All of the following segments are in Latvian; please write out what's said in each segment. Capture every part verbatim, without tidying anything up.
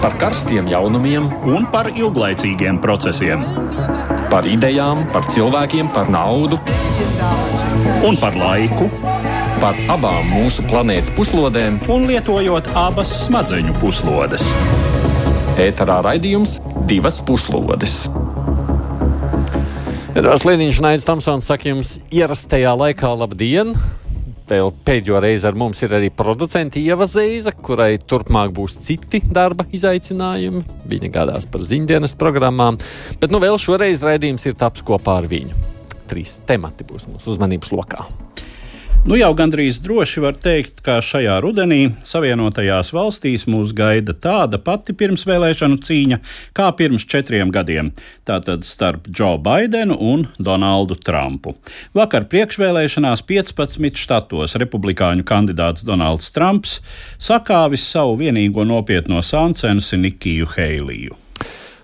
Par karstiem jaunumiem un par ilglaicīgiem procesiem. Par idejām, par cilvēkiem, par naudu. Un par laiku. Par abām mūsu planētas puslodēm. Un lietojot abas smadzeņu puslodes. Ēterā raidījums Divas puslodes. Edvards Liniņš un Aidis Tamsons saka jums ierastajā laikā labdien. Vēl pēdējo reizi ar mums ir arī producenti Ieva Zeiza, kurai turpmāk būs citi darba izaicinājumi. Viņa gādās par ziņdienas programmām, bet nu vēl šoreiz raidījums ir taps kopā ar viņu. Trīs temati būs mūsu uzmanības lokā. Nu jau gandrīz droši var teikt, ka šajā rudenī Savienotajās valstīs mūs gaida tāda pati pirmsvēlēšanu cīņa kā pirms četriem gadiem. Tātad starp Džo Baidenu un Donaldu Trumpu. Vakar priekšvēlēšanās piecpadsmit štatos republikāņu kandidāts Donalds Trumps sakāvis savu vienīgo nopietno sāncensi Nikiju Heiliju.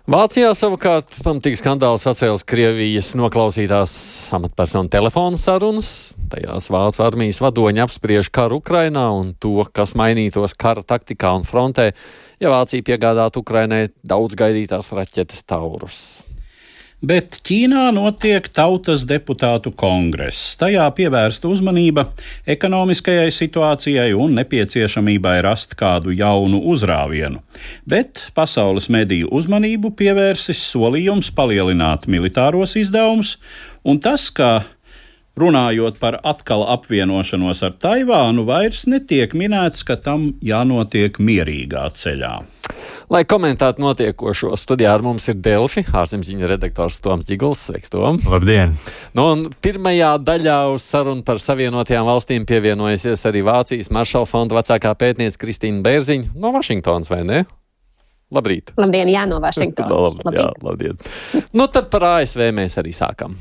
Vācijā savukārt pamatīgi skandāls atcēlis Krievijas noklausītās amatpersonu telefonu sarunas. Tajās Vācu armijas vadoņi apspriež karu Ukrainā un to, kas mainītos kara taktikā un frontē, ja Vācija piegādātu Ukrainai daudz gaidītās raķetes Taurus. Bet Ķīnā notiek tautas deputātu kongress. Tajā pievērsta uzmanība ekonomiskajai situācijai un nepieciešamībai rast kādu jaunu uzrāvienu. Bet pasaules mediju uzmanību pievērsis solījums palielināt militāros izdevumus, un tas, ka runājot par atkal apvienošanos ar Taivānu, vairs netiek minēts, ka tam jānotiek mierīgā ceļā. Lai komentētu notiekošo, studijā ar mums ir Delfi, ārzemziņu redaktors Toms Ģiguls. Sveiks, Tom! Labdien! Nu, un pirmajā daļā uz sarunu par Savienotajām valstīm pievienojusies arī Vācijas Maršala fonda vecākā pētniece Kristīna Bērziņa no Vašingtonas, vai ne? Labrīt! Labdien, jā, no Vašingtonas. Lab, jā, labdien! Nu, tad par A S V mēs arī sākam.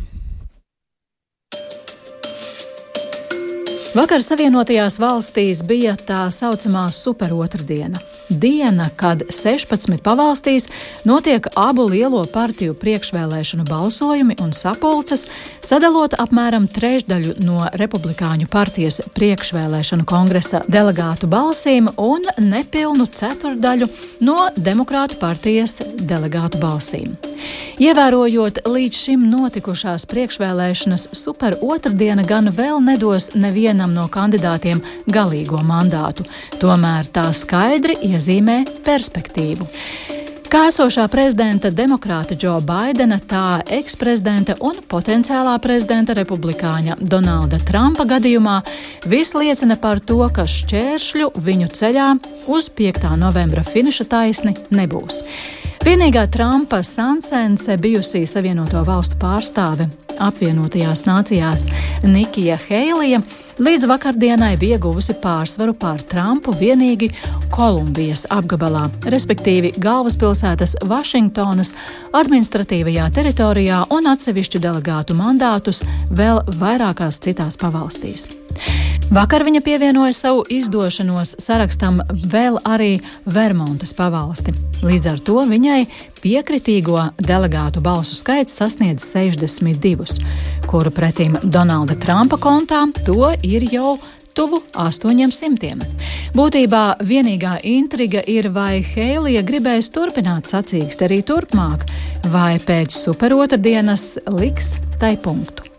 Vakar Savienotajās valstīs bija tā saucamā superotrdiena. Diena, kad sešpadsmit pavalstīs notiek abu lielo partiju priekšvēlēšanu balsojumi un sapulces, sadalot apmēram trešdaļu no Republikāņu partijas priekšvēlēšanu kongresa delegātu balsīm un nepilnu ceturdaļu no Demokrātu partijas delegātu balsīm. Ievērojot līdz šim notikušās priekšvēlēšanas, superotrdiena gan vēl nedos nevienam no kandidātiem galīgo mandātu, tomēr tā skaidri iezīmē perspektīvu. Kā esošā prezidenta demokrāta Džo Baidena, tā eksprezidenta un potenciālā prezidenta republikāņa Donalda Trumpa gadījumā viss liecina par to, ka šķēršļu viņu ceļā uz piektā novembra finiša taisni nebūs. Vienīgā Trumpa sansense bijusī Savienoto valstu pārstāve apvienotajās nācijās Nikija Heilija līdz vakardienai bija guvusi pārsvaru pār Trumpu vienīgi Kolumbijas apgabalā, respektīvi galvaspilsētas Vašingtonas administratīvajā teritorijā un atsevišķu delegātu mandātus vēl vairākās citās pavalstīs. Vakar viņa pievienoja savu izdošanos sarakstam vēl arī Vermontas pavalsti. Līdz ar to viņai piekritīgo delegātu balsu skaits sasniedz sešdesmit divus, kuru pretim Donalda Trumpa kontā to ir jau tuvu astoņiem simtiem. Būtībā vienīgā intriga ir, vai Heilija gribēs turpināt sacīksti arī turpmāk, vai pēc superotrdienas liks tai punktu.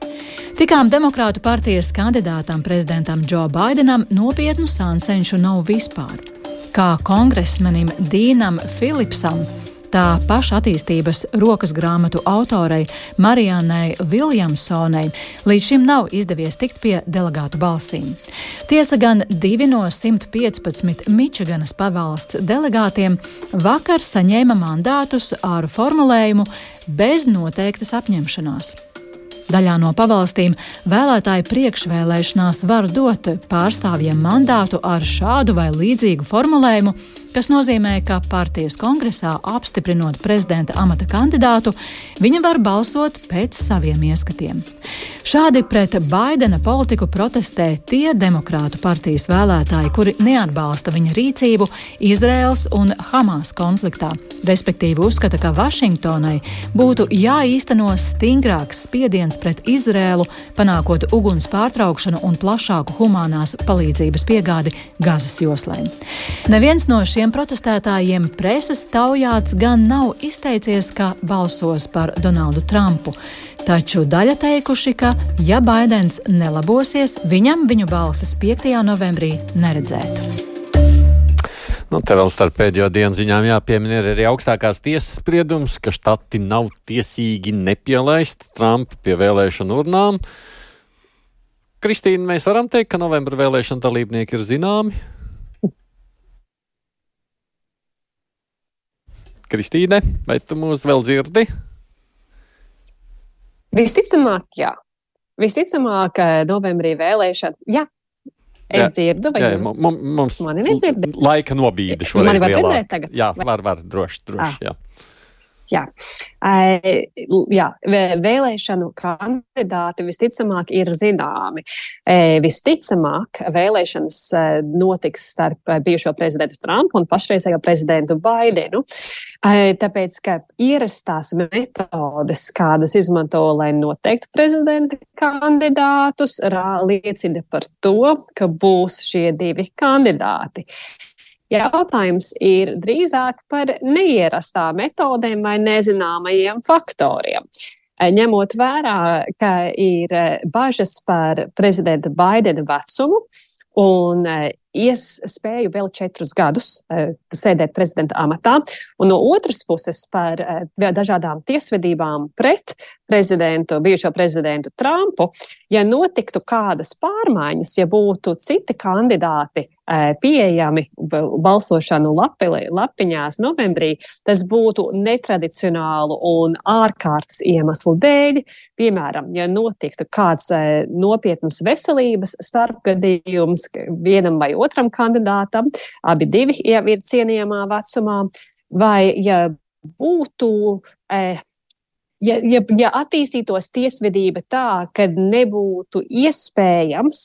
Tikām Demokrātu partijas kandidātam prezidentam Džo Baidenam nopietnu sansenšu nav vispār. Kā kongresmenim Dīnam Filipsam, tā paša attīstības rokas grāmatu autorei Mariannai Viljamsonai līdz šim nav izdevies tikt pie delegātu balsīm. Tiesa gan divi no simt piecpadsmit Mičiganas pavalsts delegātiem vakar saņēma mandātus ar formulējumu bez noteiktas apņemšanās. Daļā no pavalstīm vēlētāju priekšvēlēšanās var dot pārstāvjiem mandātu ar šādu vai līdzīgu formulējumu, kas nozīmē, ka partijas kongresā apstiprinot prezidenta amata kandidātu, viņa var balsot pēc saviem ieskatiem. Šādi pret Baidena politiku protestē tie demokrātu partijas vēlētāji, kuri neatbalsta viņa rīcību Izraēlas un Hamas konfliktā, respektīvi uzskata, ka Vašingtonai būtu jāīsteno stingrāks spiediens pret Izrēlu, panākot uguns pārtraukšanu un plašāku humanās palīdzības piegādi Gazas joslai. Neviens no šiem protestētājiem preses taujāts gan nav izteicies, ka balsos par Donaldu Trumpu. Taču daļa teikuši, ka, ja Baidens nelabosies, viņam viņu balsis piektajā novembrī neredzētu. Nu, te vēl starp pēdējo dienu ziņām jāpiemina arī augstākās tiesas spriedums, ka štati nav tiesīgi nepielaist Trumpu pie vēlēšanu urnām. Kristīna, mēs varam teikt, ka novembra vēlēšana dalībnieki ir zināmi? Kristīne, vai tu mūs vēl dzirdi? Visticamāk, jā. Visticamāk, novembrī vēlēšana, jā. Es jā. dzirdu, vai jā, jums mums, mums mani nedzirdi? Laika nobīde šoreiz mani var lielāk. Dzirdēt tagad? Jā, var, var, droši, droši, ah. jā. Jā. E, jā, vēlēšanu kandidāti visticamāk ir zināmi. E, visticamāk vēlēšanas notiks starp bijušo prezidentu Trumpu un pašreizējo prezidentu Baidenu. E, tāpēc, ka ierastās metodes, kādas izmanto, lai noteiktu prezidenta kandidātus, rā, liecina par to, ka būs šie divi kandidāti. Jautājums ir drīzāk par neierastām metodēm vai nezināmajiem faktoriem. Ņemot vērā, ka ir bažas par prezidenta Baidena vecumu un iespēju vēl četrus gadus sēdēt prezidenta amatā, un no otras puses par dažādām tiesvedībām pret prezidentu, bijušo prezidentu Trumpu, ja notiktu kādas pārmaiņas, ja būtu citi kandidāti pieejami balsošanu lapi, lapiņās novembrī, tas būtu netradicionālu un ārkārtas iemeslu dēļ. Piemēram, ja notiktu kāds nopietnas veselības starpgadījums vienam vai otram kandidātam, abi divi jau ir cienījamā vecumā, vai ja būtu, ja, ja, ja attīstītos tiesvedība tā, ka nebūtu iespējams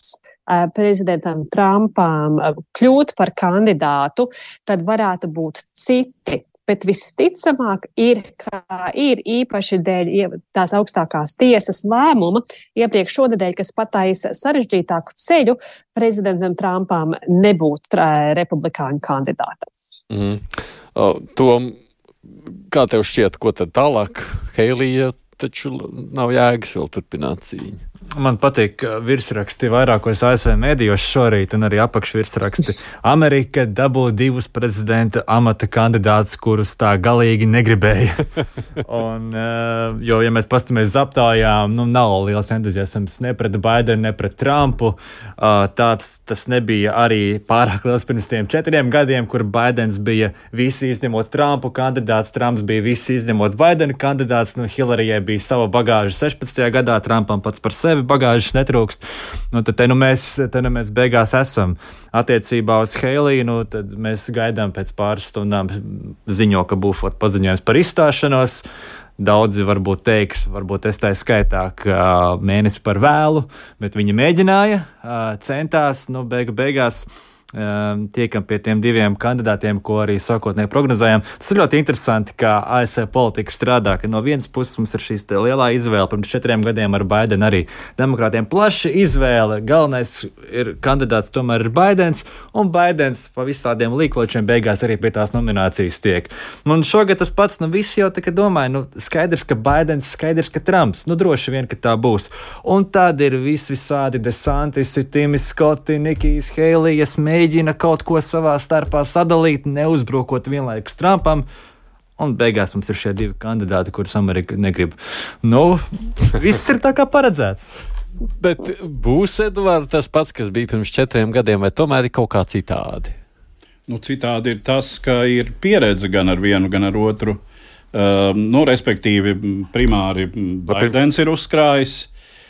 prezidentam Trumpam kļūt par kandidātu, tad varētu būt citi. Bet visticamāk ir, ka ir īpaši dēļ tās augstākās tiesas lēmuma iepriekš šonedēļ, kas pataisa sarežģītāku ceļu, prezidentam Trumpam nebūt republikāņu kandidātam. Mm. O, Tom, kā tev šķiet, ko tad tālāk? Heilija taču nav jēgas vēl turpināt cīņu. Man patīk virsraksti vairākos A S V mēdījos šorīt un arī apakšvirsraksti. Amerika dabū divus prezidenta amata kandidātus, kurus tā galīgi negribēja. un, jo, ja mēs pastamies uz aptaujām, nu, nav liels entuziasms ne pret Baidenu, ne pret Trumpu. Tāds tas nebija arī pārāk liels pirms tiem četriem gadiem, kur Baidens bija visi izņemot Trumpu kandidāts, Trumps bija visi izņemot Baidenu kandidāts, nu, Hillarijai bija sava bagāža sešpadsmitajā gadā, Trumpam pats par sevi bagāžas netrūkst. Nu, tad te nu mēs, te nu mēs beigās esam. Attiecībā uz Heiliju, nu, tad mēs gaidām pēc pāris stundām ziņo, ka būs paziņojums par izstāšanos. Daudzi varbūt teiks, varbūt es tā skaitā, ka mēnesi par vēlu, bet viņi mēģināja, centās, nu, beigu beigās tiekam pie tiem diviem kandidātiem, ko arī sākotnēji prognozējām. Tas ir ļoti interesanti, kā A S V politika strādā, ka no vienas puses mums ir šīs lielā izvēle. Pirms četriem gadiem ar Baidenu arī demokrātiem plaša izvēle. Galvenais ir kandidāts tomēr ir Baidens, un Baidens pa visādiem līkločiem beigās arī pie tās nominācijas tiek. Un šogad tas pats, nu visi jau tā kā domāja, nu skaidrs, ka Baidens, skaidrs, ka Trumps, nu droši vien, ka tā būs. Un tad ir vis visādi DeSantis, Timis Skoti, Nikijs Heilijas, mēģina kaut ko savā starpā sadalīt, neuzbrukot vienlaikus Trumpam, un beigās mums ir šie divi kandidāti, kurus Amerika negrib. Nu, viss ir tā kā paredzēts. Bet būs, Eduard, tas pats, kas bija pirms četriem gadiem, vai tomēr ir kaut kā citādi? Nu, citādi ir tas, ka ir pieredze gan ar vienu, gan ar otru. Uh, nu, respektīvi, primāri Baidens ir uzkrājis.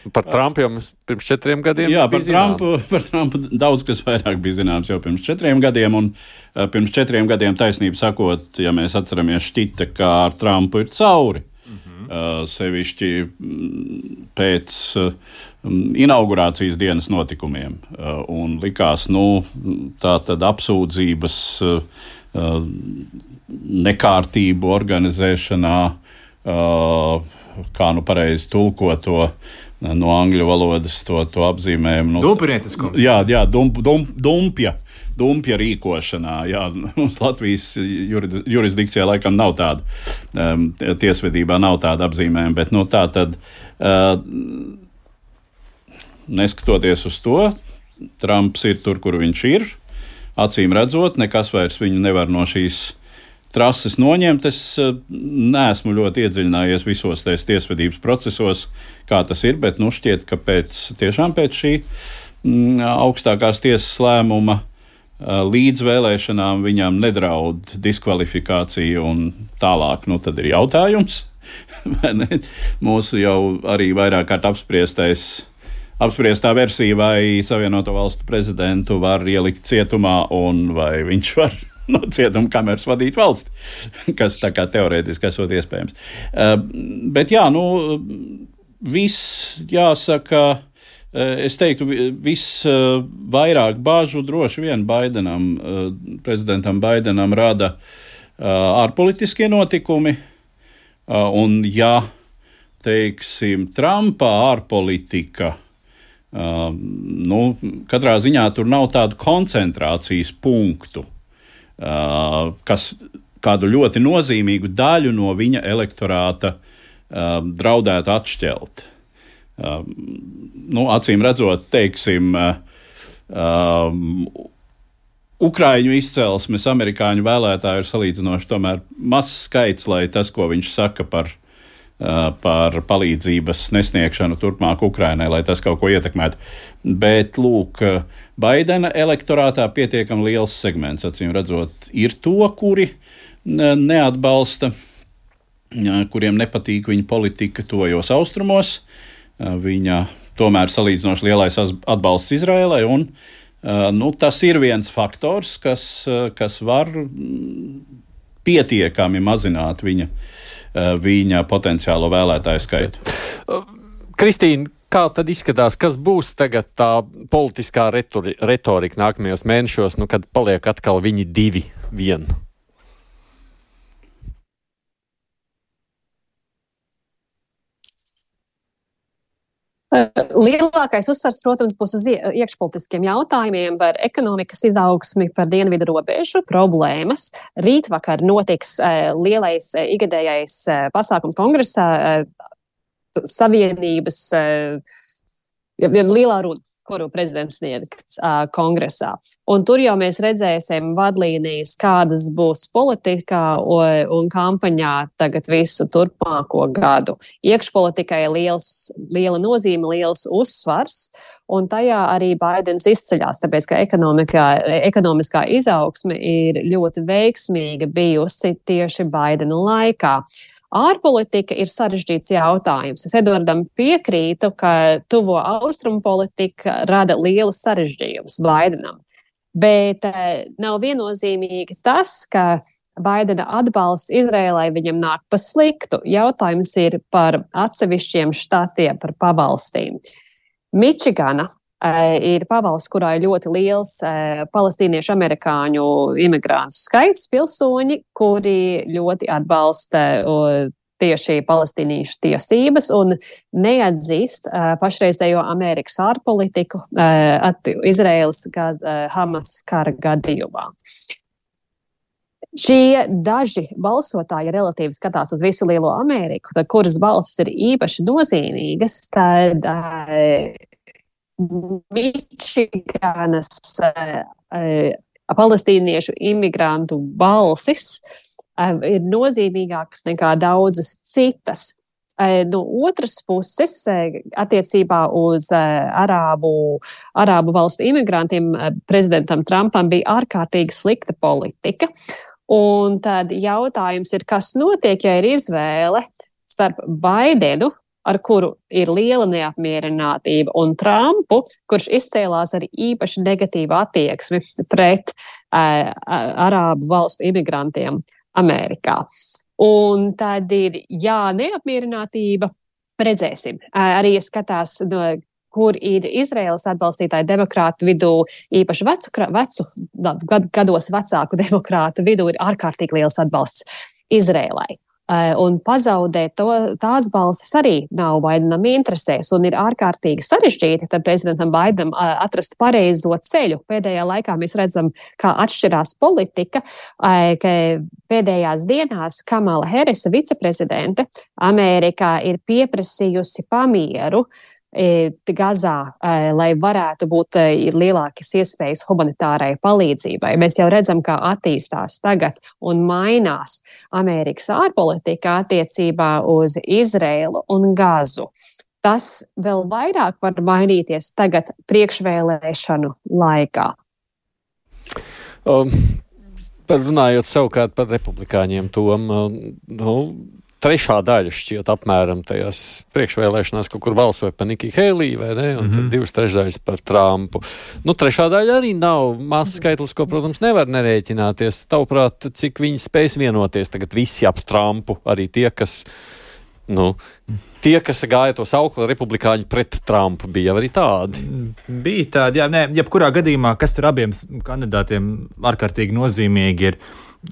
Par Trumpu jau pirms četriem gadiem Jā, bija par Trumpu, par Trumpu daudz kas vairāk bija zināms jau pirms četriem gadiem, un uh, pirms četriem gadiem taisnība sakot, ja mēs atceramies, šķita, ka ar Trumpu ir cauri. Mm-hmm. Uh, sevišķi pēc uh, inaugurācijas dienas notikumiem. Uh, un likās, nu, tā tad apsūdzības uh, nekārtību organizēšanā, kā nu pareizi tulko to no angļu valodas to, to apzīmējumu. Nu, Dumpinieciskums. Jā, jā dump, dump, dumpja. Dumpja rīkošanā. Jā, mums Latvijas jurisdikcijā laikam nav tāda, um, tiesvedībā nav tāda apzīmējuma, bet nu, tā tad, uh, neskatoties uz to, Trumps ir tur, kur viņš ir, acīm redzot, nekas vairs viņu nevar no šīs trases noņemt. Es uh, neesmu ļoti iedziļinājies visos tais tiesvedības procesos, kā tas ir, bet nu šķiet, ka pēc, tiešām pēc šī mm, augstākās tiesas lēmuma līdz vēlēšanām viņam nedraud diskvalifikācija un tālāk. Nu, tad ir jautājums, vai ne? Mūsu jau arī vairāk kārt apspriestais, apspriestā versija, vai Savienoto Valstu prezidentu var ielikt cietumā un vai viņš var no cietuma kameras vadīt valsti, kas tā kā teorētiski esot iespējams. Uh, bet jā, nu, viss jāsaka, es teiktu, visvairāk bāžu droši vien Baidenam, prezidentam Baidenam rada ārpolitiskie notikumi, un ja, teiksim, Trumpa ārpolitika, nu, katrā ziņā tur nav tādu koncentrācijas punktu, kas kādu ļoti nozīmīgu daļu no viņa elektorāta draudētu atšķelt. Uh, nu, acīm redzot, teiksim, uh, um, Ukraiņu izcelsmes amerikāņu vēlētāju ir salīdzinoši tomēr mazs skaits, lai tas, ko viņš saka par, uh, par palīdzības nesniegšanu turpmāk Ukrainai, lai tas kaut ko ietekmētu. Bet, lūk, Baidena elektorātā pietiekami liels segments, acīm redzot, ir to, kuri neatbalsta, kuriem nepatīk viņa politika tuvajos austrumos. Viņa tomēr salīdzinoši lielais atbalsts Izraēlai, un nu, tas ir viens faktors, kas, kas var pietiekami mazināt viņa, viņa potenciālo vēlētāju skaitu. Kristīna, kā tad izskatās, kas būs tagad tā politiskā retori, retorika nākamajos mēnešos, nu, kad paliek atkal viņi divi vien? Lielākais uzsvars, protams, būs uz iekšpolitiskiem jautājumiem par ekonomikas izaugsmi, par dienvidu robežu problēmas. Rītvakar notiks lielais ikgadējais pasākums kongresā, Savienības lielā runa, kuru prezidents sniegs uh, kongresā. Un tur jau mēs redzēsim vadlīnijas, kādas būs politikā un, un kampaņā tagad visu turpmāko gadu. Iekšpolitikai liels, liela nozīme, liels uzsvars, un tajā arī Baidens izceļās, tāpēc, ka ekonomiskā izaugsme ir ļoti veiksmīga bijusi tieši Baidena laikā. Ārpolitika ir sarežģīts jautājums. Es Edvardam piekrītu, ka tuvo austrumu politika rada lielu sarežģījumus Baidenam. Bet eh, nav viennozīmīgi tas, ka Baidena atbalsts Izrēlai viņam nāk pa sliktu. Jautājums ir par atsevišķiem štatiem, par pavalstīm. Mičigana eh, ir pavalsts, kurā ir ļoti liels eh, palestīniešu amerikāņu imigrantu skaits pilsoņi, kuri ļoti atbalsta eh, tieši palestīniešu tiesības un neatzīst uh, pašreizējo Amerikas ārpolitiku uh, Izraēlas gaz, uh, Hamas kara gadījumā. Šie daži balsotāji relatīvi skatās uz visu lielo Ameriku, tad, kuras balsis ir īpaši nozīmīgas, tad uh, Mičiganas uh, uh, palestīniešu imigrantu balsis uh, ir nozīmīgākas nekā daudzas citas. Uh, no otras puses, uh, attiecībā uz uh, arābu, arābu valstu imigrantiem, uh, prezidentam Trumpam bija ārkārtīgi slikta politika. Un tad jautājums ir, kas notiek, ja ir izvēle starp Baidenu, ar kuru ir liela neapmierinātība, un Trumpu, kurš izcēlās ar īpaši negatīvu attieksmi pret uh, arābu valstu imigrantiem Amerikā. Un tad ir, jā, neapmierinātība, redzēsim. Uh, arī skatās no kur ir Izraēlas atbalstītāji demokrātu vidū, īpaši vecu, vecu gad, gados vecāku demokrātu vidū, ir ārkārtīgi liels atbalsts Izraēlai. Un pazaudēt to, tās balsis arī nav Baidenam interesēs, un ir ārkārtīgi sarežģīti tad prezidentam Baidenam atrast pareizo ceļu. Pēdējā laikā mēs redzam, kā atšķirās politika, ka pēdējās dienās Kamala Harrisa, viceprezidente, Amerikā ir pieprasījusi pamieru Gazā, lai varētu būt lielākas iespējas humanitārai palīdzībai. Mēs jau redzam, kā attīstās tagad un mainās Amerikas ārpolitika attiecībā uz Izraēlu un Gazu. Tas vēl vairāk var mainīties tagad priekšvēlēšanu laikā. Um, runājot savukārt par republikāņiem, Tom, nu, trešā daļa šķiet apmēram tajās priekšvēlēšanās, kaut kur balsoja par Nikiju Heiliju, vai ne, un mm-hmm. tad divas trešdaļas par Trumpu. Nu, trešā daļa arī nav mazs skaitlis, ko, protams, nevar nerēķināties. Tavuprāt, cik viņi spēs vienoties tagad visi ap Trumpu, arī tie, kas, nu, tie, kas gāja to saukli republikāņi pret Trumpu, bija arī tādi. Bija tādi, jā, nē, jebkurā gadījumā, kas tur abiem kandidātiem ārkārtīgi nozīmīgi ir.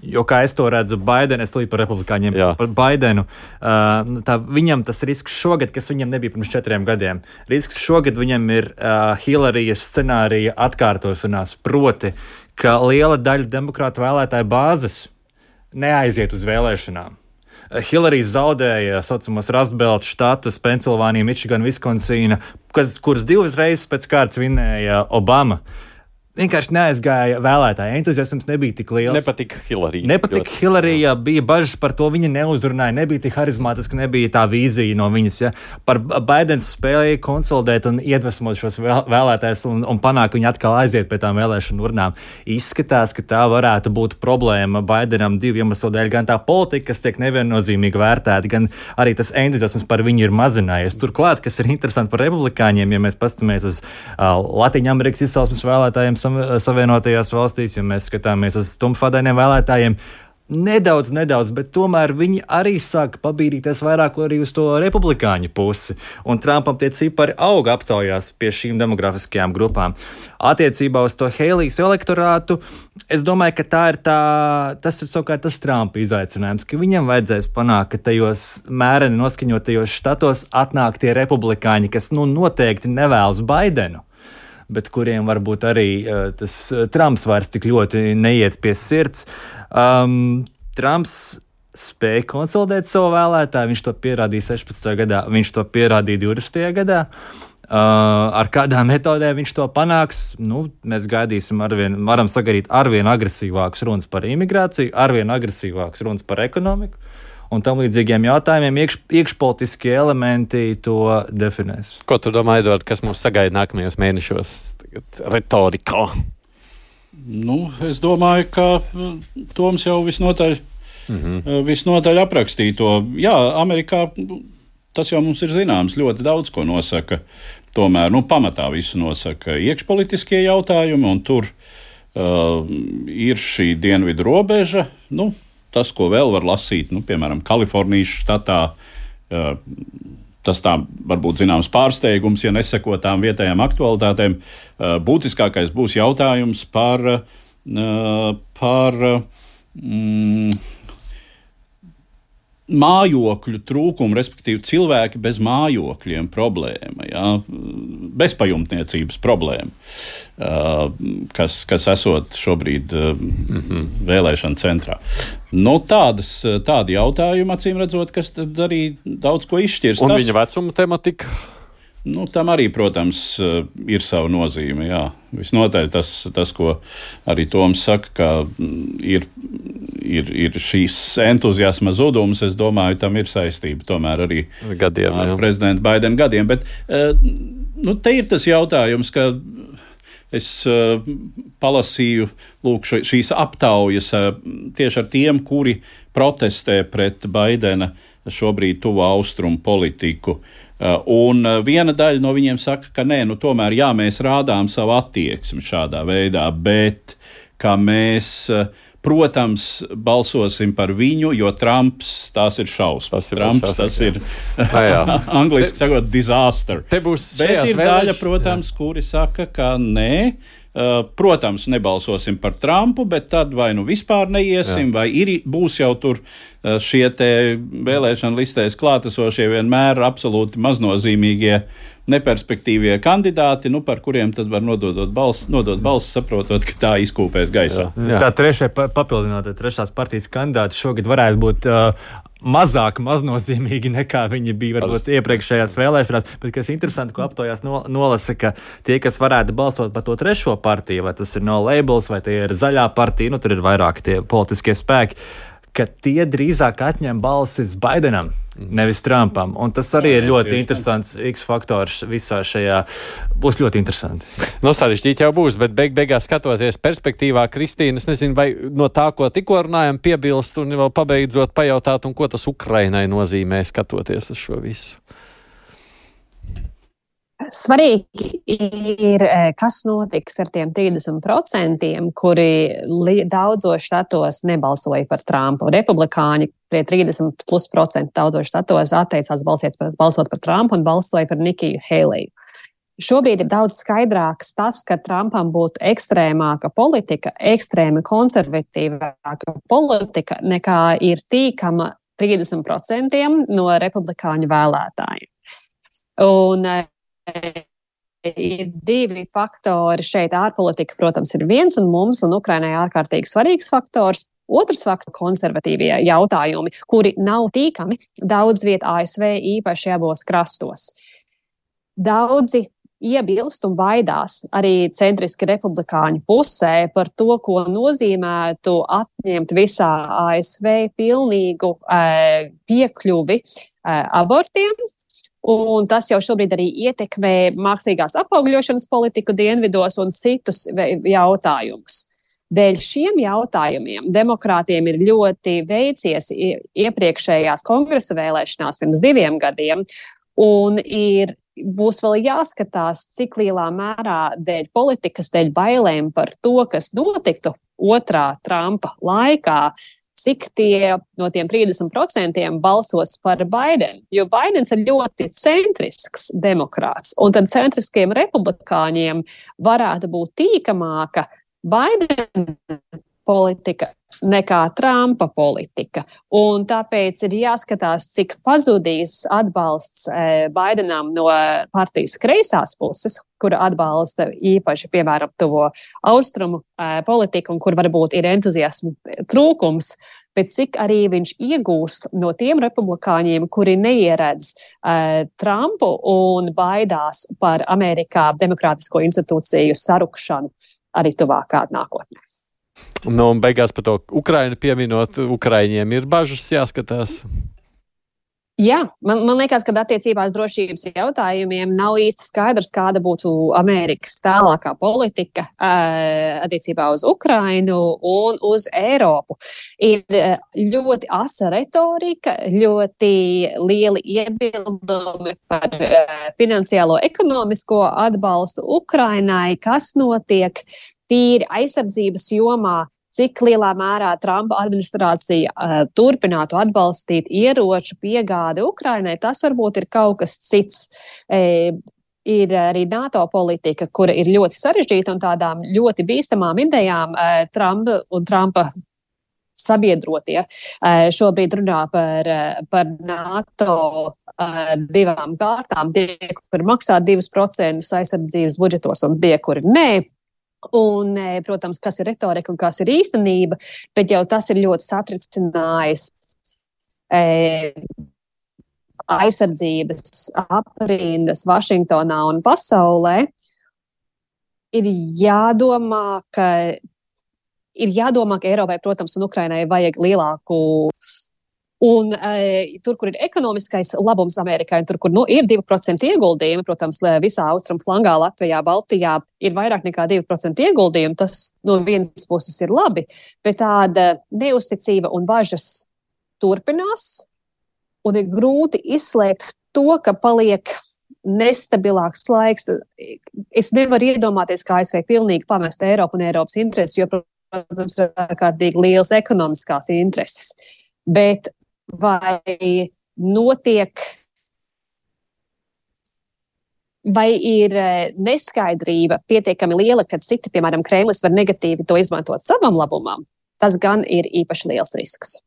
Jo, kā es to redzu, Baidenu, es līdz par republikāņiem, Jā. par Baidenu, uh, tā, viņam tas risks šogad, kas viņam nebija pirms četriem gadiem, risks šogad viņam ir uh, Hillarijas scenārija atkārtošanās, proti, ka liela daļa demokrātu vēlētāju bāzes neaiziet uz vēlēšanām. Hillary zaudēja saucamos Rustbelt štatus, Pensilvānija, Mičigana, Viskonsīna, kas, kuras divas reizes pēc kārtas vinēja Obama. Vienkārši neaizgāja vēlētāji. Entuziasms nebija tik liels. Nepatika Hillary. Nepatika Hillary, jā, bija bažas par to, viņa neuzrunāja, nebija tik harizmātiski, nebija tā vīzija no viņas. Ja. Par Baidens spēlēja konsolidēt un iedvesmot šos vēlētājus un, un panākt, viņi atkal aiziet pie tām vēlēšanu urnām. Izskatās, ka tā varētu būt problēma Baidenam divu iemeslu dēļ. Gan tā politika, kas tiek neviennozīmīgi vērtēta, gan arī tas entuziasms par viņu ir mazinājies. Turklāt, kas ir interesanti par republikāņiem, ja mēs pastamies uz uh, Latīņa Amerikas izcelsmes vēlētājiem Savienotajās valstīs, ja mēs skatāmies uz tumšādainiem vēlētājiem, nedaudz, nedaudz, bet tomēr viņi arī sāk pabīdīties vairāk arī uz to republikāņu pusi. Un Trumpam tie cipari auga aptaujās pie šīm demografiskajām grupām. Attiecībā uz to Heilijas elektorātu, es domāju, ka tā ir tā, tas ir savukārt tas Trumpa izaicinājums, ka viņam vajadzēs panākt, ka tajos mēreni noskaņotajos štatos atnāk tie republikāņi, kas nu noteikti nevēlas Baidenu, bet kuriem varbūt arī uh, tas uh, Trumps vairs tik ļoti neiet pie sirds. Um, Trumps spēja konsolidēt savu vēlētāju, viņš to pierādīja sešpadsmitajā gadā, viņš to pierādīja divdesmitajā gadā. Uh, ar kādām metodēm viņš to panāks, nu, mēs gaidīsim arvien, varam sagaidīt arvien agresīvākus runas par imigrāciju, arvien agresīvākus runas par ekonomiku. Un tam līdzīgiem jautājumiem iekš, iekšpolitiskie elementi to definēs. Ko tu domā, Edvard, kas mūs sagaida nākamajos mēnešos retorikā? Nu, es domāju, ka Toms jau visnotaļ, mm-hmm. visnotaļ aprakstīja to. Jā, Amerikā tas jau mums ir zināms, ļoti daudz ko nosaka. Tomēr, nu, pamatā visu nosaka iekšpolitiskie jautājumi, un tur uh, ir šī dienvidu robeža, nu, tas, ko vēl var lasīt, nu, piemēram, Kalifornijas štatā, uh, tas tā varbūt zināms pārsteigums, ja neseko tām vietējām aktualitātēm. Uh, būtiskākais būs jautājums par, uh, par mm, mājokļu trūkumu, respektīvi cilvēki bez mājokļiem problēma, jā, bezpajumtniecības problēma, uh, kas, kas esot šobrīd uh, mm-hmm. vēlēšana centrā. Nu, tādas, tādi jautājumi, acīm redzot, kas tad arī daudz ko izšķirs. Un tas, viņa vecuma tematika? Nu, tam arī, protams, ir sava nozīme, jā. Visnotaļ tas, tas, ko arī Toms saka, ka ir, ir, ir šīs entuziasma zudums, es domāju, tam ir saistība tomēr arī gadiem, ar jā. prezidenta Baidena gadiem. Bet, nu, te ir tas jautājums, ka es uh, palasīju lūk, šīs aptaujas uh, tieši ar tiem, kuri protestē pret Baidena šobrīd tuvo austrumu politiku. Uh, un uh, viena daļa no viņiem saka, ka nē, nu tomēr jā, mēs rādām savu attieksmi šādā veidā, bet ka mēs uh, protams, balsosim par viņu, jo Trumps tās ir šausmas. Trumps tas ir, angliski sakot, disaster. Te būs Bet ir daļa, protams, jā. Kuri saka, ka nē. Protams, nebalsosim par Trumpu, bet tad vai nu vispār neiesim, Jā. Vai ir, būs jau tur šie te vēlēšana listēs klātesošie vienmēr absolūti maznozīmīgie, neperspektīvie kandidāti, nu, par kuriem tad var nododot balss, nodot balss, saprotot, ka tā izkūpēs gaisā. Jā. Jā. Tā trešai papildināt, trešās partijas kandidāti šogad varētu būt uh, mazāk maznozīmīgi nekā viņi bija varbūt iepriekšējās vēlēšanās, bet kas interesanti, ko aptojās no, nolasa, ka tie, kas varētu balsot par to trešo partiju, vai tas ir No Labels, vai tie ir zaļā partija, nu tur ir vairāk tie politiskie spēki, ka tie drīzāk atņem balsis Baidenam, nevis Trumpam. Un tas arī ir ļoti interesants X-faktors visā šajā. Būs ļoti interesanti. No sarežģīti jau būs, bet beig beigās skatoties perspektīvā, Kristīna, es nezinu, vai no tā, ko tikko runājam, piebilst un vēl pabeidzot pajautāt, un ko tas Ukrainai nozīmē skatoties uz šo visu. Svarīgi ir, kas notiks ar tiem trīsdesmit procentiem, kuri daudzos štatos nebalsoja par Trumpu. Republikāņi tie trīsdesmit plus procenti daudzos štatos atteicās balsot par, balsot par Trumpu un balsoja par Nikiju Heiliju. Šobrīd ir daudz skaidrāks tas, ka Trumpam būtu ekstrēmāka politika, ekstrēmi konservatīvāka politika, nekā ir tīkama trīsdesmit procentiem no republikāņu vēlētājiem. Un ir divi faktori šeit. Ārpolitika, protams, ir viens, un mums un Ukrainai ārkārtīgi svarīgs faktors. Otrs faktors - konservatīvie jautājumi, kuri nav tīkami daudz viet A S V, īpaši abos krastos. Daudzi iebilst un baidās arī centriski republikāņu pusē par to, ko nozīmētu atņemt visā A S V pilnīgu e, piekļuvi e, abortiem. Un tas jau šobrīd arī ietekmē mākslīgās apaugļošanas politiku dienvidos un citus jautājumus. Dēļ šiem jautājumiem demokrātiem ir ļoti veicies iepriekšējās kongresa vēlēšanās pirms diviem gadiem, un ir, būs vēl jāskatās, cik lielā mērā dēļ politikas, dēļ bailēm par to, kas notiktu otrā Trumpa laikā, cik tie no tiem trīsdesmit procentiem balsos par Baidenu. Jo Baidens ir ļoti centrisks demokrāts, un tad centriskiem republikāņiem varētu būt tīkamāka Baidena politika nekā Trumpa politika. Un tāpēc ir jāskatās, cik pazudīs atbalsts e, Baidenam no partijas kreisās puses, kura atbalsta īpaši, piemēram, tuvo austrumu e, politiku, un kur varbūt ir entuziasmu trūkums, bet cik arī viņš iegūst no tiem republikāņiem, kuri neieredz e, Trumpu un baidās par Amerikā demokrātisko institūciju sarukšanu arī tuvākā nākotnē. Nu, un beigās par to Ukrainu pieminot, Ukraiņiem ir bažas jāskatās. Jā, man, man liekas, ka attiecībās drošības jautājumiem nav īsti skaidrs, kāda būtu Amerikas tālākā politika uh, attiecībā uz Ukrainu un uz Eiropu. Ir uh, ļoti asa retorika, ļoti lieli iebildumi par uh, finansiālo ekonomisko atbalstu Ukrainai, kas notiek tīri aizsardzības jomā, cik lielā mērā Trumpa administrācija uh, turpinātu atbalstīt ieroču piegādi Ukrainai, tas varbūt ir kaut kas cits. E, ir arī NATO politika, kura ir ļoti sarežģīta un tādām ļoti bīstamām idejām e, Trumpa un Trumpa sabiedrotie e, šobrīd runā par, par NATO e, divām kārtām, tie, kur maksā divus procentus aizsardzības budžetos un tie, kuri nē. Un, protams, kas ir retorika un kas ir īstenība, bet jau tas ir ļoti satricinājis e, aizsardzības aprindas Vašingtonā un pasaulē. Ir jādomā, ka, ir jādomā, ka Eiropai, protams, un Ukrainai vajag lielāku. Un e, tur, kur ir ekonomiskais labums Amerikai, un tur, kur nu, ir divi procenti ieguldījumi, protams, visā austrumu flangā, Latvijā, Baltijā ir vairāk nekā divi procenti ieguldījumi, tas no vienas puses ir labi, bet tāda neusticība un bažas turpinās, un ir grūti izslēgt to, ka paliek nestabilāks laiks. Es nevaru iedomāties, kā A S V pilnīgi pamest Eiropu un Eiropas intereses, jo, protams, ir ārkārtīgi liels ekonomiskās intereses. Bet vai notiek, vai ir neskaidrība pietiekami liela, kad citi, piemēram, Kremlis var negatīvi to izmantot savam labumam, tas gan ir īpaši liels risks.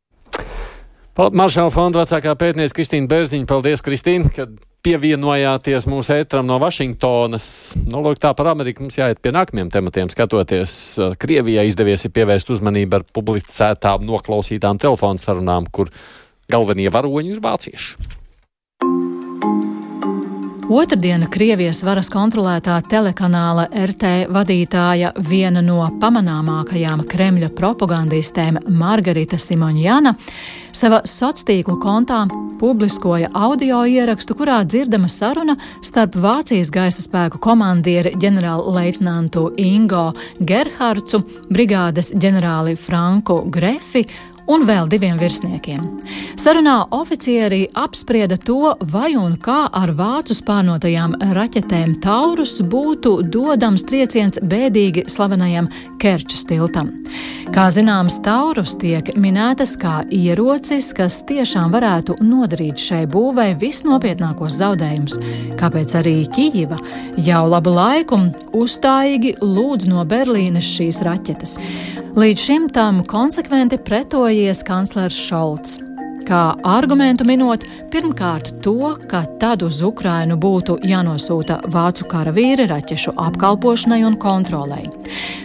Maršala fonda vecākā pētniece Kristīna Bērziņa. Paldies, Kristīna, ka pievienojāties mūsu ētram no Vašingtonas. Nu, lūk, tā par Ameriku mums jāiet pie nākamajiem tematiem skatoties. Krievijai izdevies ir pievērst uzmanību ar publicētām noklausītām telefonu sarunām, kur galvenie varoņi ir vācieši. Otrdiena Krievijas varas kontrolētā telekanāla R T vadītāja, viena no pamanāmākajām Kremļa propagandistēm Margarita Simonjana, savā sociālo kontā publiskoja audio ierakstu, kurā dzirdama saruna starp Vācijas gaisa spēku komandieri ģenerālleitnantu Ingo Gerhardsu, brigādes ģenerāli Franku Grefi un vēl diviem virsniekiem. Sarunā oficieri apsprieda to, vai un kā ar vācu spārnotajām raķetēm Taurus būtu dodams trieciens bēdīgi slavenajam Kerčas tiltam. Kā zināms, Taurus tiek minētas kā ierocis, kas tiešām varētu nodarīt šai būvei visnopietnākos zaudējumus, kāpēc arī Kijiva jau labu laiku uzstājīgi lūdz no Berlīnes šīs raķetes. Līdz šim tam konsekventi pretojies kanclers Šolts. Kā argumentu minot, pirmkārt to, ka tad uz Ukrainu būtu jānosūta vācu karavīri raķešu apkalpošanai un kontrolei.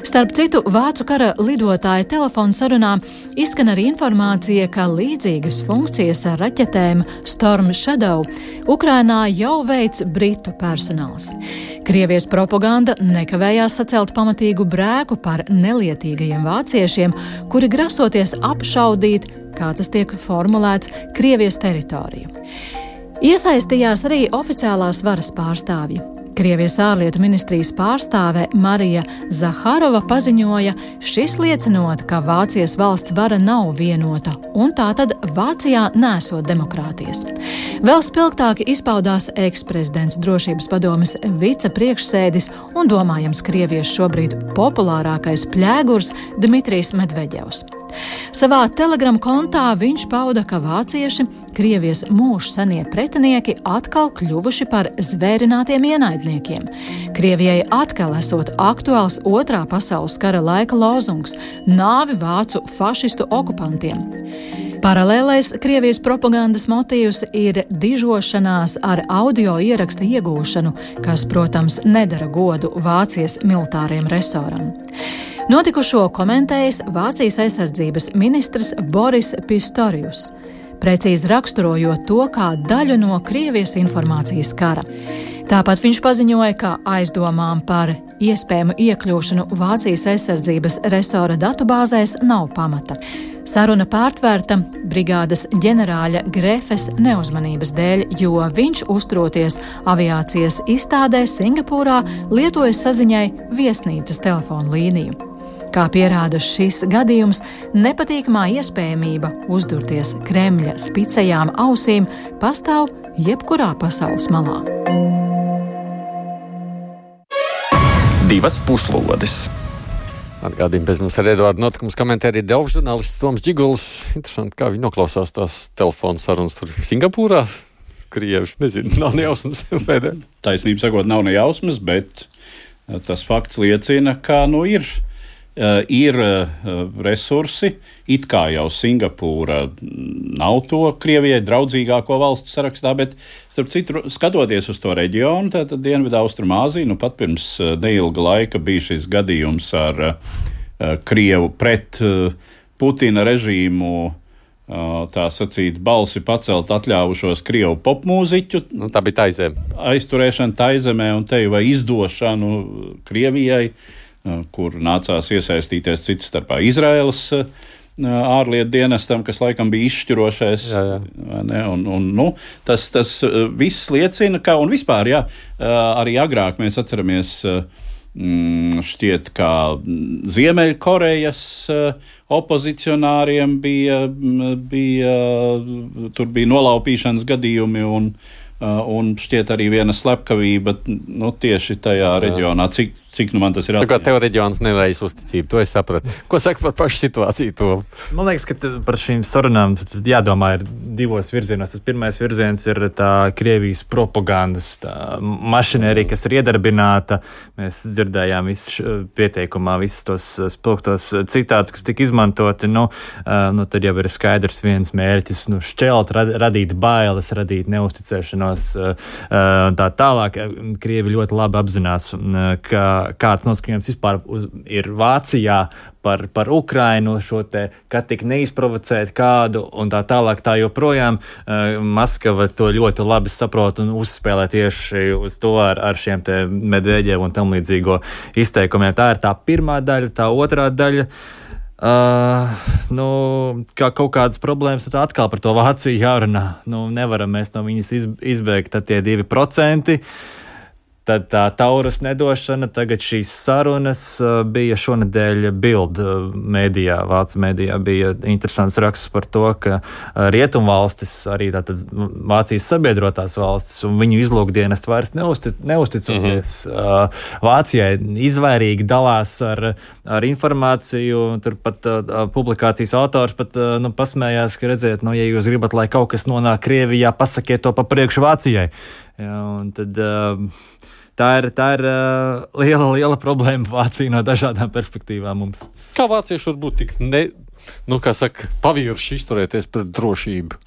Starp citu, vācu kara lidotāja telefonu sarunā izskan arī informācija, ka līdzīgas funkcijas ar raķetēm Storm Shadow Ukrainā jau veic britu personāls. Krievijas propaganda nekavējās sacelt pamatīgu brēku par nelietīgajiem vāciešiem, kuri grasoties apšaudīt, kā tas tiek formulēts, Krievijas teritoriju. Iesaistījās arī oficiālās varas pārstāvji. Krievijas ārlietu ministrijas pārstāve Marija Zaharova paziņoja, šis liecinot, ka Vācijas valsts vara nav vienota, un tātad Vācijā nesot demokrātijas. Vēl spilgtāk izpaudās eksprezidents drošības padomes vicepriekšsēdis un domājams Krievijas šobrīd populārākais pļēgurs Dmitrijs Medveģevs. Savā Telegram kontā viņš pauda, ka vācieši, Krievijas mūžu senie pretinieki, atkal kļuvuši par zvērinātiem ienaidniekiem. Krievijai atkal esot aktuāls otrā pasaules kara laika lozungs – nāvi vācu fašistu okupantiem. Paralēlais Krievijas propagandas motīvs ir dižošanās ar audio ieraksta iegūšanu, kas, protams, nedara godu Vācijas militāriem resoram. Notikušo komentējis Vācijas aizsardzības ministrs Boris Pistorius, precīzi raksturojot to kā daļu no Krievijas informācijas kara. Tāpat viņš paziņoja, ka aizdomām par iespējamu iekļūšanu Vācijas aizsardzības resora datubāzēs nav pamata. Saruna pārtvērta brigādes ģenerāļa Grefes neuzmanības dēļ, jo viņš, uzturoties aviācijas izstādē Singapūrā, lietojas saziņai viesnīcas telefonu līniju. Kā pierāda šis gadījums, nepatīkamā iespējamība uzdurties Kremļa spicējām ausīm pastāv jebkurā pasaules malā. Divas puslodes. Atgādījumi pēc mums ar Eduardu notikumus komentē arī Delfu žurnālists Toms Džiguls. Interesanti, kā viņi noklausās tās telefonu sarunas tur Singapūrā. Krievi, nezinu, nav ne jausmas. Taisnība sakot, nav ne jausmas, bet tas fakts liecina, ka nu ir. Uh, ir uh, resursi, it kā jau Singapūra nav to Krievijai draudzīgāko valstu sarakstā, bet, starp citu, skatoties uz to reģionu, tātad Dienvidu Austrumāziju, nu pat pirms uh, neilga laika bija šis gadījums ar uh, Krievu pret uh, Putina režīmu, uh, tā sacīt, balsi pacelt atļāvušos Krievu popmūziķu. Nu, tā bija Taizeme. Aizturēšana Taizemē un te vai izdošanu Krievijai, kur nācās iesaistīties citu starpā Izraēlas ārlietu dienestam, kas laikam bija izšķirošais. Jā, jā. Ne, un, un, nu, tas, tas viss liecina, ka, un vispār, jā, arī agrāk mēs atceramies šķiet, kā Ziemeļkorejas opozicionāriem bija, bija, tur bija nolaupīšanas gadījumi un, un šķiet arī viena slepkavība, nu, tieši tajā reģionā, cik cik nu man tas ir atmiņā. Tā kā atmiņā. tev reģions nevējas uzticību, to es sapratu. Ko saka par pašu situāciju to? Man liekas, ka par šīm sarunām jādomā ir divos virzienos. Tas pirmais virziens ir tā Krievijas propagandas tā mašinērija, kas ir iedarbināta. Mēs dzirdējām visu pieteikumā, visus tos spilgtos citātus, kas tika izmantoti. Nu, nu, tad jau ir skaidrs viens mērķis, nu, šķelt, radīt bailes, radīt neusticēšanos. Tā tālāk Krievi ļoti labi apzinās, ka kāds noskaņojums vispār ir Vācijā par, par Ukrainu, šo te, ka tik neizprovocēt kādu un tā tālāk tā joprojām. Maskava to ļoti labi saprot un uzspēlē tieši uz to ar, ar šiem te Medveģevu un tam līdzīgo izteikumiem. Tā ir tā pirmā daļa, tā otrā daļa. Uh, nu, kā kaut kādas problēmas, tad atkal par to Vāciju jārunā. Nu, nevaram mēs no viņas izbēgt, tad tie divi procenti. Tad tā Taurus nedošana, tagad šīs sarunas bija šonedēļ Bild mēdījā, Vācu mēdījā bija interesants raksts par to, ka rietumvalstis, arī tātad Vācijas sabiedrotās valstis un viņu izlūkdienas vairs neuztic, neusticoties mm-hmm. Vācijai, izvairīgi dalās ar, ar informāciju, turpat publikācijas autors pat nu, pasmējās, ka redziet, nu, ja jūs gribat, lai kaut kas nonāk Krievijā, pasakiet to pa priekšu Vācijai. Ja, un tad... Uh, Tā ir, tā ir uh, liela, liela problēma Vācija no dažādām perspektīvām mums. Kā vācieši var būt tik, ne, nu, kā saka, pavirši izturēties pret drošību?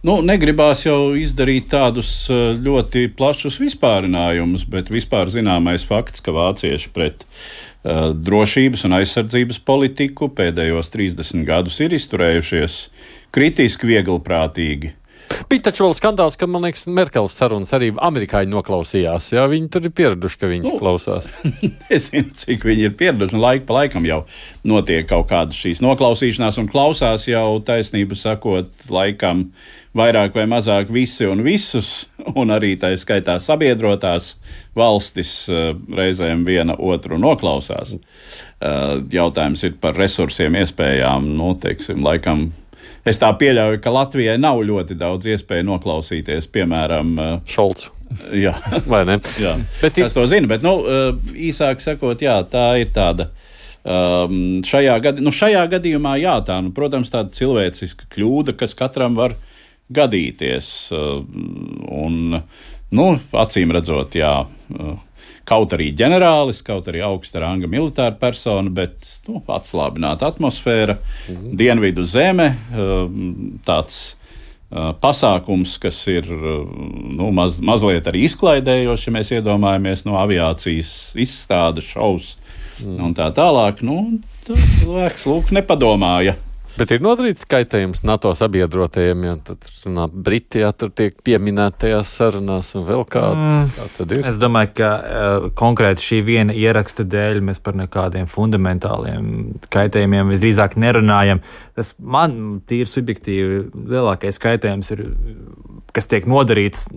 Nu, negribās jau izdarīt tādus ļoti plašus vispārinājumus, bet vispār zināmais fakts, ka vācieši pret uh, drošības un aizsardzības politiku pēdējos trīsdesmit gadus ir izturējušies kritiski vieglprātīgi. Bija taču vēl skandāls, ka, man liekas, Merkeles sarunas arī amerikāņi noklausījās. Jā, viņi tur ir pieraduši, ka viņas nu, klausās. Nezinu, cik viņi ir pieraduši. Laika pa laikam jau notiek kaut kādas šīs noklausīšanās un klausās jau taisnību sakot laikam vairāk vai mazāk visi un visus, un arī tā skaitā sabiedrotās valstis reizēm viena otru noklausās. Jautājums ir par resursiem, iespējām, nu, teiksim, laikam. Es tā pieļauju, ka Latvijai nav ļoti daudz iespēju noklausīties, piemēram, Šolcu. Jā, vai ne? Jā, bet es to zinu, bet, nu, īsāk sakot, jā, tā ir tāda. Um, šajā, gadi, nu, šajā gadījumā, jā, tā, nu, protams, tāda cilvēciska kļūda, kas katram var gadīties. Un, nu, acīm redzot, jā, kaut arī ģenerālis, kaut arī augsta ranga militāra persona, bet nu, atslābināta atmosfēra, mm-hmm. dienvidu zeme, tāds pasākums, kas ir nu, maz, mazliet arī izklaidējoši, ja mēs iedomājamies no aviācijas izstādes šovs mm. un tā tālāk. Nu, cilvēks lūk nepadomāja. Bet ir nodarīts kaitējums NATO sabiedrotajiem, ja tad runā Briti, ja tur tiek pieminēti tajās sarunās un vēl kāda. Mm. Kā tad ir? Es domāju, ka uh, konkrēti šī viena ieraksta dēļ mēs par nekādiem fundamentāliem kaitējumiem visdrīzāk nerunājam. Tas man tīri subjektīvi lielākais kaitējums ir, kas tiek nodarīts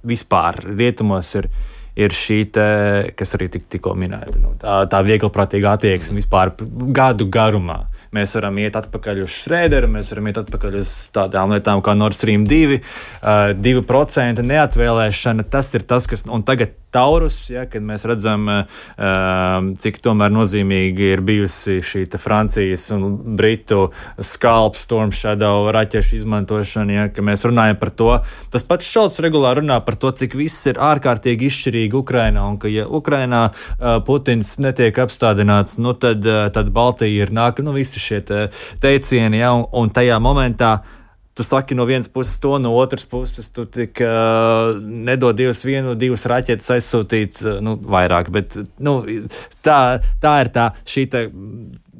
vispār rietumos, ir ir šī te, kas arī tik, tikko minēta, nu, tā, tā vieglprātīga attieksme vispār gadu garumā. Mēs varam iet atpakaļ uz Šrēderu, mēs varam iet atpakaļ uz tādām lietām kā Nord Stream divi, uh, divi procenti neatvēlēšana, tas ir tas, kas, un tagad Taurus, ja, kad mēs redzam, uh, cik tomēr nozīmīgi ir bijusi šī te Francijas un Britu Scalp, Storm Shadow raķešu izmantošana, ja, ka mēs runājam par to. Tas pats Šolts regulāri runā par to, cik viss ir ārkārtīgi izšķirīgi Ukrainā, un ka, ja Ukrainā uh, Putins netiek apstādināts, nu tad, uh, tad Baltija ir nāk, nu visi šie te teicieni, ja, un, un tajā momentā tu saki no vienas puses to, no otras puses tu tik uh, nedod divas vienu, divas raķetes aizsūtīt, uh, nu, vairāk, bet, nu, tā, tā ir tā šī te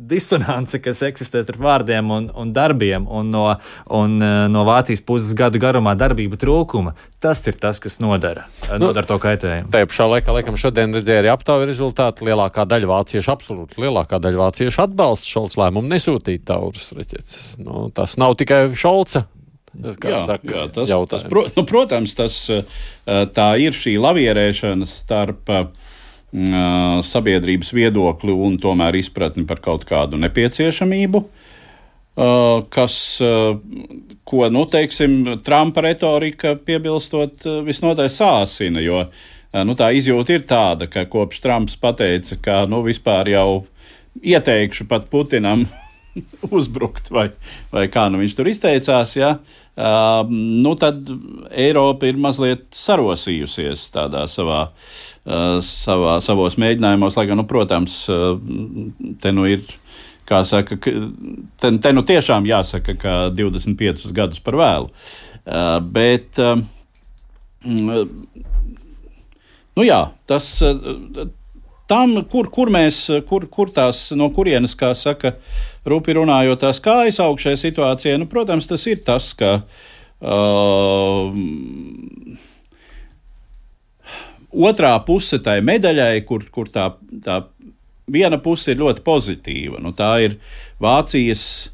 disonance, kas eksistē starp vārdiem un, un darbiem, un no, un, uh, no Vācijas puses gadu garumā darbība trūkuma. Tas ir tas, kas nodara, nu, nodara to kaitējumu. Tajā pašā laikā, laikam, šodien redzēja arī aptauju rezultātu. Lielākā daļa vāciešu, absolūti lielākā daļa vāciešu atbalsta Šolca lēmumu nesūtīt Taurus raķetes. Nu, tas nav tikai Šolca. Kā jā, saka, jā, tas, tas, pro, nu, protams, tas, tā ir šī lavierēšana starp uh, sabiedrības viedokli un tomēr izpratni par kaut kādu nepieciešamību, uh, kas, uh, ko, nu, teiksim, Trumpa retorika piebilstot uh, visnotaļ sāsina, jo nu, tā izjūta ir tāda, ka kopš Trumps pateica, ka nu, vispār jau ieteikšu pat Putinam uzbrukt, vai, vai kā nu viņš tur izteicās, ja, uh, nu tad Eiropa ir mazliet sarosījusies tādā savā, uh, savā, savos mēģinājumos, lai gan, nu, protams, uh, te nu ir, kā saka, te, te nu tiešām jāsaka, ka divdesmit piecus gadus par vēlu, uh, bet uh, nu jā, tas tam, kur, kur mēs, kur, kur tās, no kurienes, kā saka, rupi runājot, tās kājas augšējai situācijai, nu, protams, tas ir tas, ka uh, otrā puse tai medaļai, kur, kur tā, tā viena puse ir ļoti pozitīva, nu, tā ir Vācijas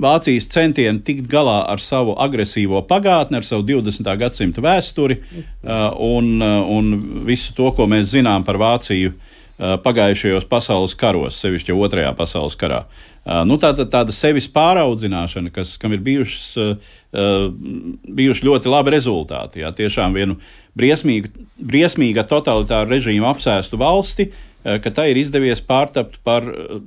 Vācijas centieni tikt galā ar savu agresīvo pagātni, ar savu divdesmitā gadsimta vēsturi uh, un, uh, un visu to, ko mēs zinām par Vāciju uh, pagājušajos pasaules karos, sevišķi otrajā pasaules karā. Uh, nu, tāda, tāda sevis pāraudzināšana, kas, kam ir bijušas, uh, uh, bijuši ļoti labi rezultāti. Jā, tiešām vienu briesmīgu, briesmīga totalitāra režīma apsēstu valsti, uh, ka tai ir izdevies pārtapt par uh,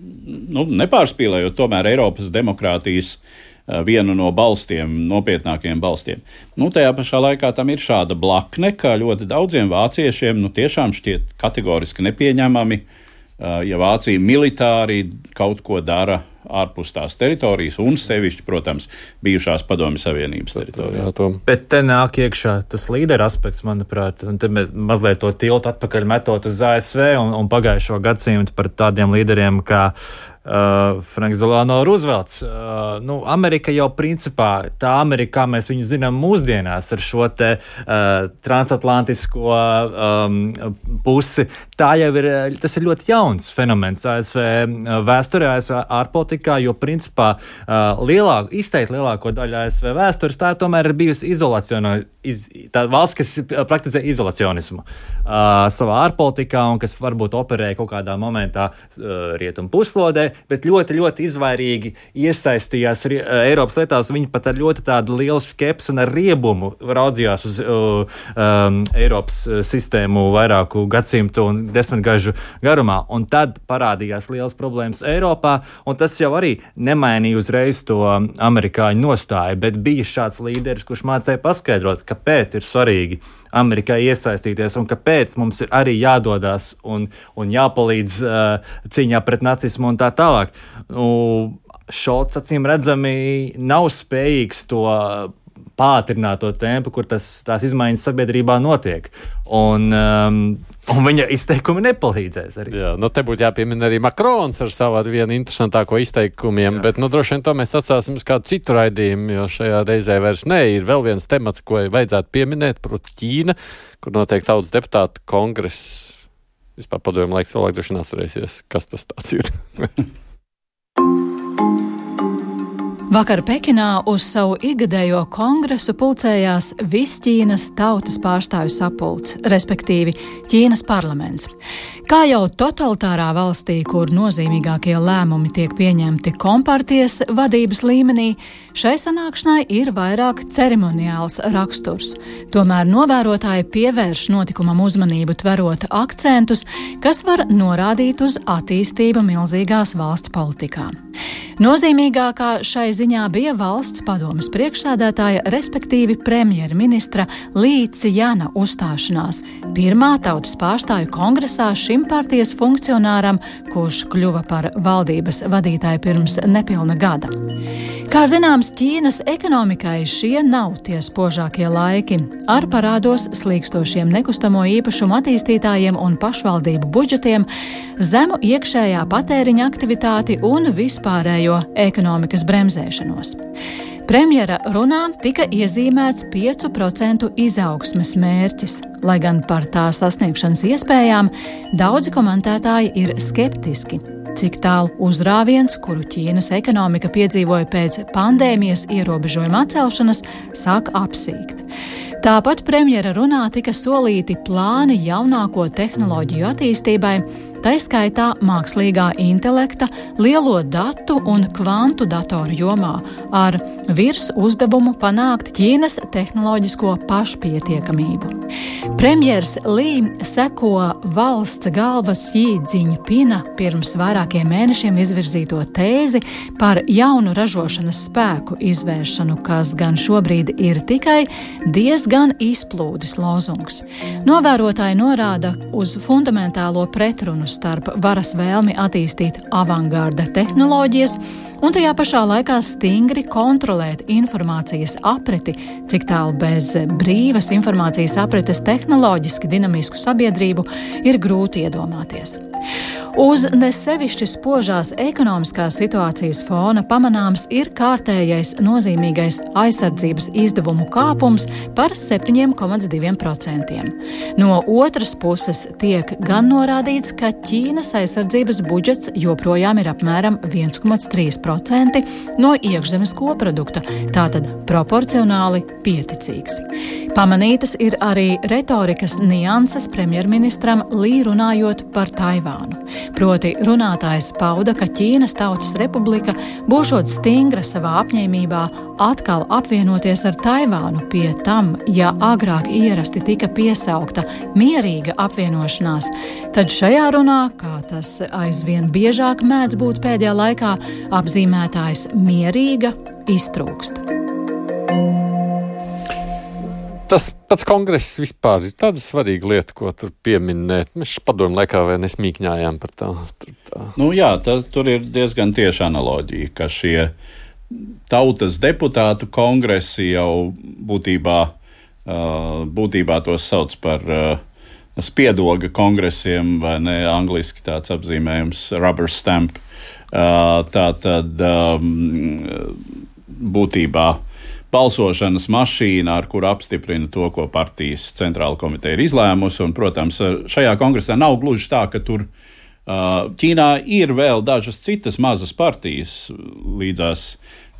Nu, nepārspīlējot tomēr Eiropas demokrātijas uh, vienu no balstiem, nopietnākajiem balstiem. Nu, tajā pašā laikā tam ir šāda blakne, ka ļoti daudziem vāciešiem nu, tiešām šķiet kategoriski nepieņemami, uh, ja Vācija militāri kaut ko dara ārpus tās teritorijas un sevišķi, protams, bijušās Padomju Savienības teritorijā. Bet te nāk iekšā tas līdera aspekts, manuprāt, un te mēs mazliet to tiltu atpakaļ metot uz A S V un, un pagājušo gadsimtu par tādiem līderiem kā Uh, Franks Delano Roosevelts. Uh, nu, Amerika jau principā, tā Amerika, kā mēs viņu zinām mūsdienās ar šo te uh, transatlantisko um, pusi, tā jau ir, tas ir ļoti jauns fenomens A S V vēsturē, A S V ārpolitikā, jo principā uh, lielāku, izteikti lielāko daļu A S V vēstures tā tomēr ir bijusi izolaciona, iz, tā valsts, kas praktizē izolacionismu uh, savā ārpolitikā un kas varbūt operē kaut kādā momentā uh, rietumu puslodē, bet ļoti, ļoti izvairīgi iesaistījās Eiropas lietās. Viņi pat ar ļoti tādu lielu skepsi un ar riebumu raudzījās uz uh, um, Eiropas sistēmu vairāku gadsimtu un desmitgažu garumā. Un tad parādījās liels problēmas Eiropā, un tas jau arī nemainīja uzreiz to amerikāņu nostāju, bet bija šāds līderis, kurš mācēja paskaidrot, kāpēc ir svarīgi Amerikai iesaistīties un kāpēc mums ir arī jādodās un, un jāpalīdz uh, cīņā pret nacismu un tā tālāk. Nu, Šolts, acīm redzami, nav spējīgs to pātrināt to tempu, kur tas, tās izmaiņas sabiedrībā notiek. Un, um, un viņa izteikumi nepalīdzēs arī. Jā, nu te būtu jāpiemina arī Makrons ar savu vienu interesantāko izteikumiem, jā. Bet nu droši vien to mēs atstāsim uz kādu citu raidījumu, jo šajā reizē vairs ne. Ir vēl viens temats, ko vajadzētu pieminēt, proti Ķīna, kur notiek tautas deputātu kongress. Vispār padomju laiks cilvēki droši vien atcerēsies, kas tas tāds ir. Vakar Pekinā uz savu ikgadējo kongresu pulcējās Visķīnas tautas pārstāvju sapulce, respektīvi Ķīnas parlaments. Kā jau totalitārā valstī, kur nozīmīgākie lēmumi tiek pieņemti kompartijas vadības līmenī, šai sanākšanai ir vairāk ceremoniāls raksturs. Tomēr novērotāji pievērš notikumam uzmanību, tverot akcentus, kas var norādīt uz attīstību milzīgās valsts politikā. Nozīmīgākā šai ziņā bija valsts padomes priekšsēdētāja, respektīvi premjerministra Lī Cijana uzstāšanās pirmā tautas pārstāvju kongresā šim partijas funkcionāram, kurš kļuva par valdības vadītāju pirms nepilna gada. Kā zināms, Ķīnas ekonomikai šie nav tie spožākie laiki. Ar parādos slīkstošiem nekustamo īpašumu attīstītājiem un pašvaldību budžetiem, zemu iekšējā patēriņa aktivitāti un vispārējo ekonomikas bremzēšanos. Premjera runā tika iezīmēts piecu procentu izaugsmes mērķis, lai gan par tā sasniegšanas iespējām daudzi komentētāji ir skeptiski, cik tālu uzrāviens, kuru Ķīnas ekonomika piedzīvoja pēc pandēmijas ierobežojuma atcelšanas, sāk apsīkt. Tāpat premjera runā tika solīti plāni jaunāko tehnoloģiju attīstībai, tā skaitā mākslīgā intelekta, lielo datu un kvantu datoru jomā, ar virs uzdevumu panākt Ķīnas tehnoloģisko pašpietiekamību. Premjers Lī seko valsts galvas Xi Džiņpina pirms vairākiem mēnešiem izvirzīto tēzi par jaunu ražošanas spēku izvēršanu, kas gan šobrīd ir tikai diezgan izplūdis lozungs. Novērotāji norāda uz fundamentālo pretrunu starp varas vēlmi attīstīt avangārda tehnoloģijas un tajā pašā laikā stingri kontrolēt informācijas apriti, cik tālu bez brīvas informācijas aprites tehnoloģiski dinamisku sabiedrību ir grūti iedomāties. Uz nesevišķi spožās ekonomiskās situācijas fona pamanāms ir kārtējais nozīmīgais aizsardzības izdevumu kāpums par septiņi komats divi procenti. No otras puses tiek gan norādīts, ka Ķīnas aizsardzības budžets joprojām ir apmēram viens komats trīs procenti no iekšzemes koprodukta, tātad proporcionāli pieticīgs. Pamanītas ir arī retorikas nianses premjerministram Lī runājot par Taivānu. Proti runātājs pauda, ka Ķīnas Tautas Republika būšot stingra savā apņēmībā atkal apvienoties ar Taivānu, pie tam, ja agrāk ierasti tika piesaukta mierīga apvienošanās, tad šajā runā, kā tas aizvien biežāk mēdz būt pēdējā laikā, apzīmētājs mierīga iztrūkst. Tas pats kongress vispār ir tāda svarīga lieta, ko tur pieminēt. Mēs padomu laikā vai nesmīkņājām par tā. tā. Nu jā, tā, tur ir diezgan tieša analoģija, ka šie tautas deputātu kongresi jau būtībā, uh, būtībā tos sauc par uh, spiedoga kongresiem, vai ne, angliski tāds apzīmējums rubber stamp. Uh, tā tad um, būtībā balsošanas mašīna, ar kuru apstiprina to, ko partijas centrāla komiteja ir izlēmusi. Un, protams, šajā kongresā nav gluži tā, ka tur uh, Ķīnā ir vēl dažas citas mazas partijas līdzās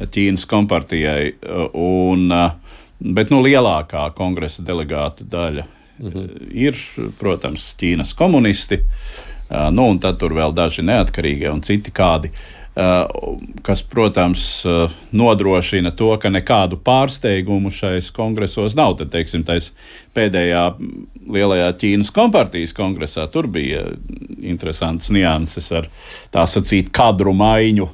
Ķīnas kompartijai, un, uh, bet nu, lielākā kongresa delegātu daļa mhm. ir, protams, Ķīnas komunisti, uh, nu, un tad tur vēl daži neatkarīgie un citi kādi. Uh, kas, protams, uh, nodrošina to, ka nekādu pārsteigumu šais kongresos nav. Tad, teiksim, tais pēdējā lielajā Ķīnas kompartijas kongresā tur bija interesants nianses ar tā sacīt kadru maiņu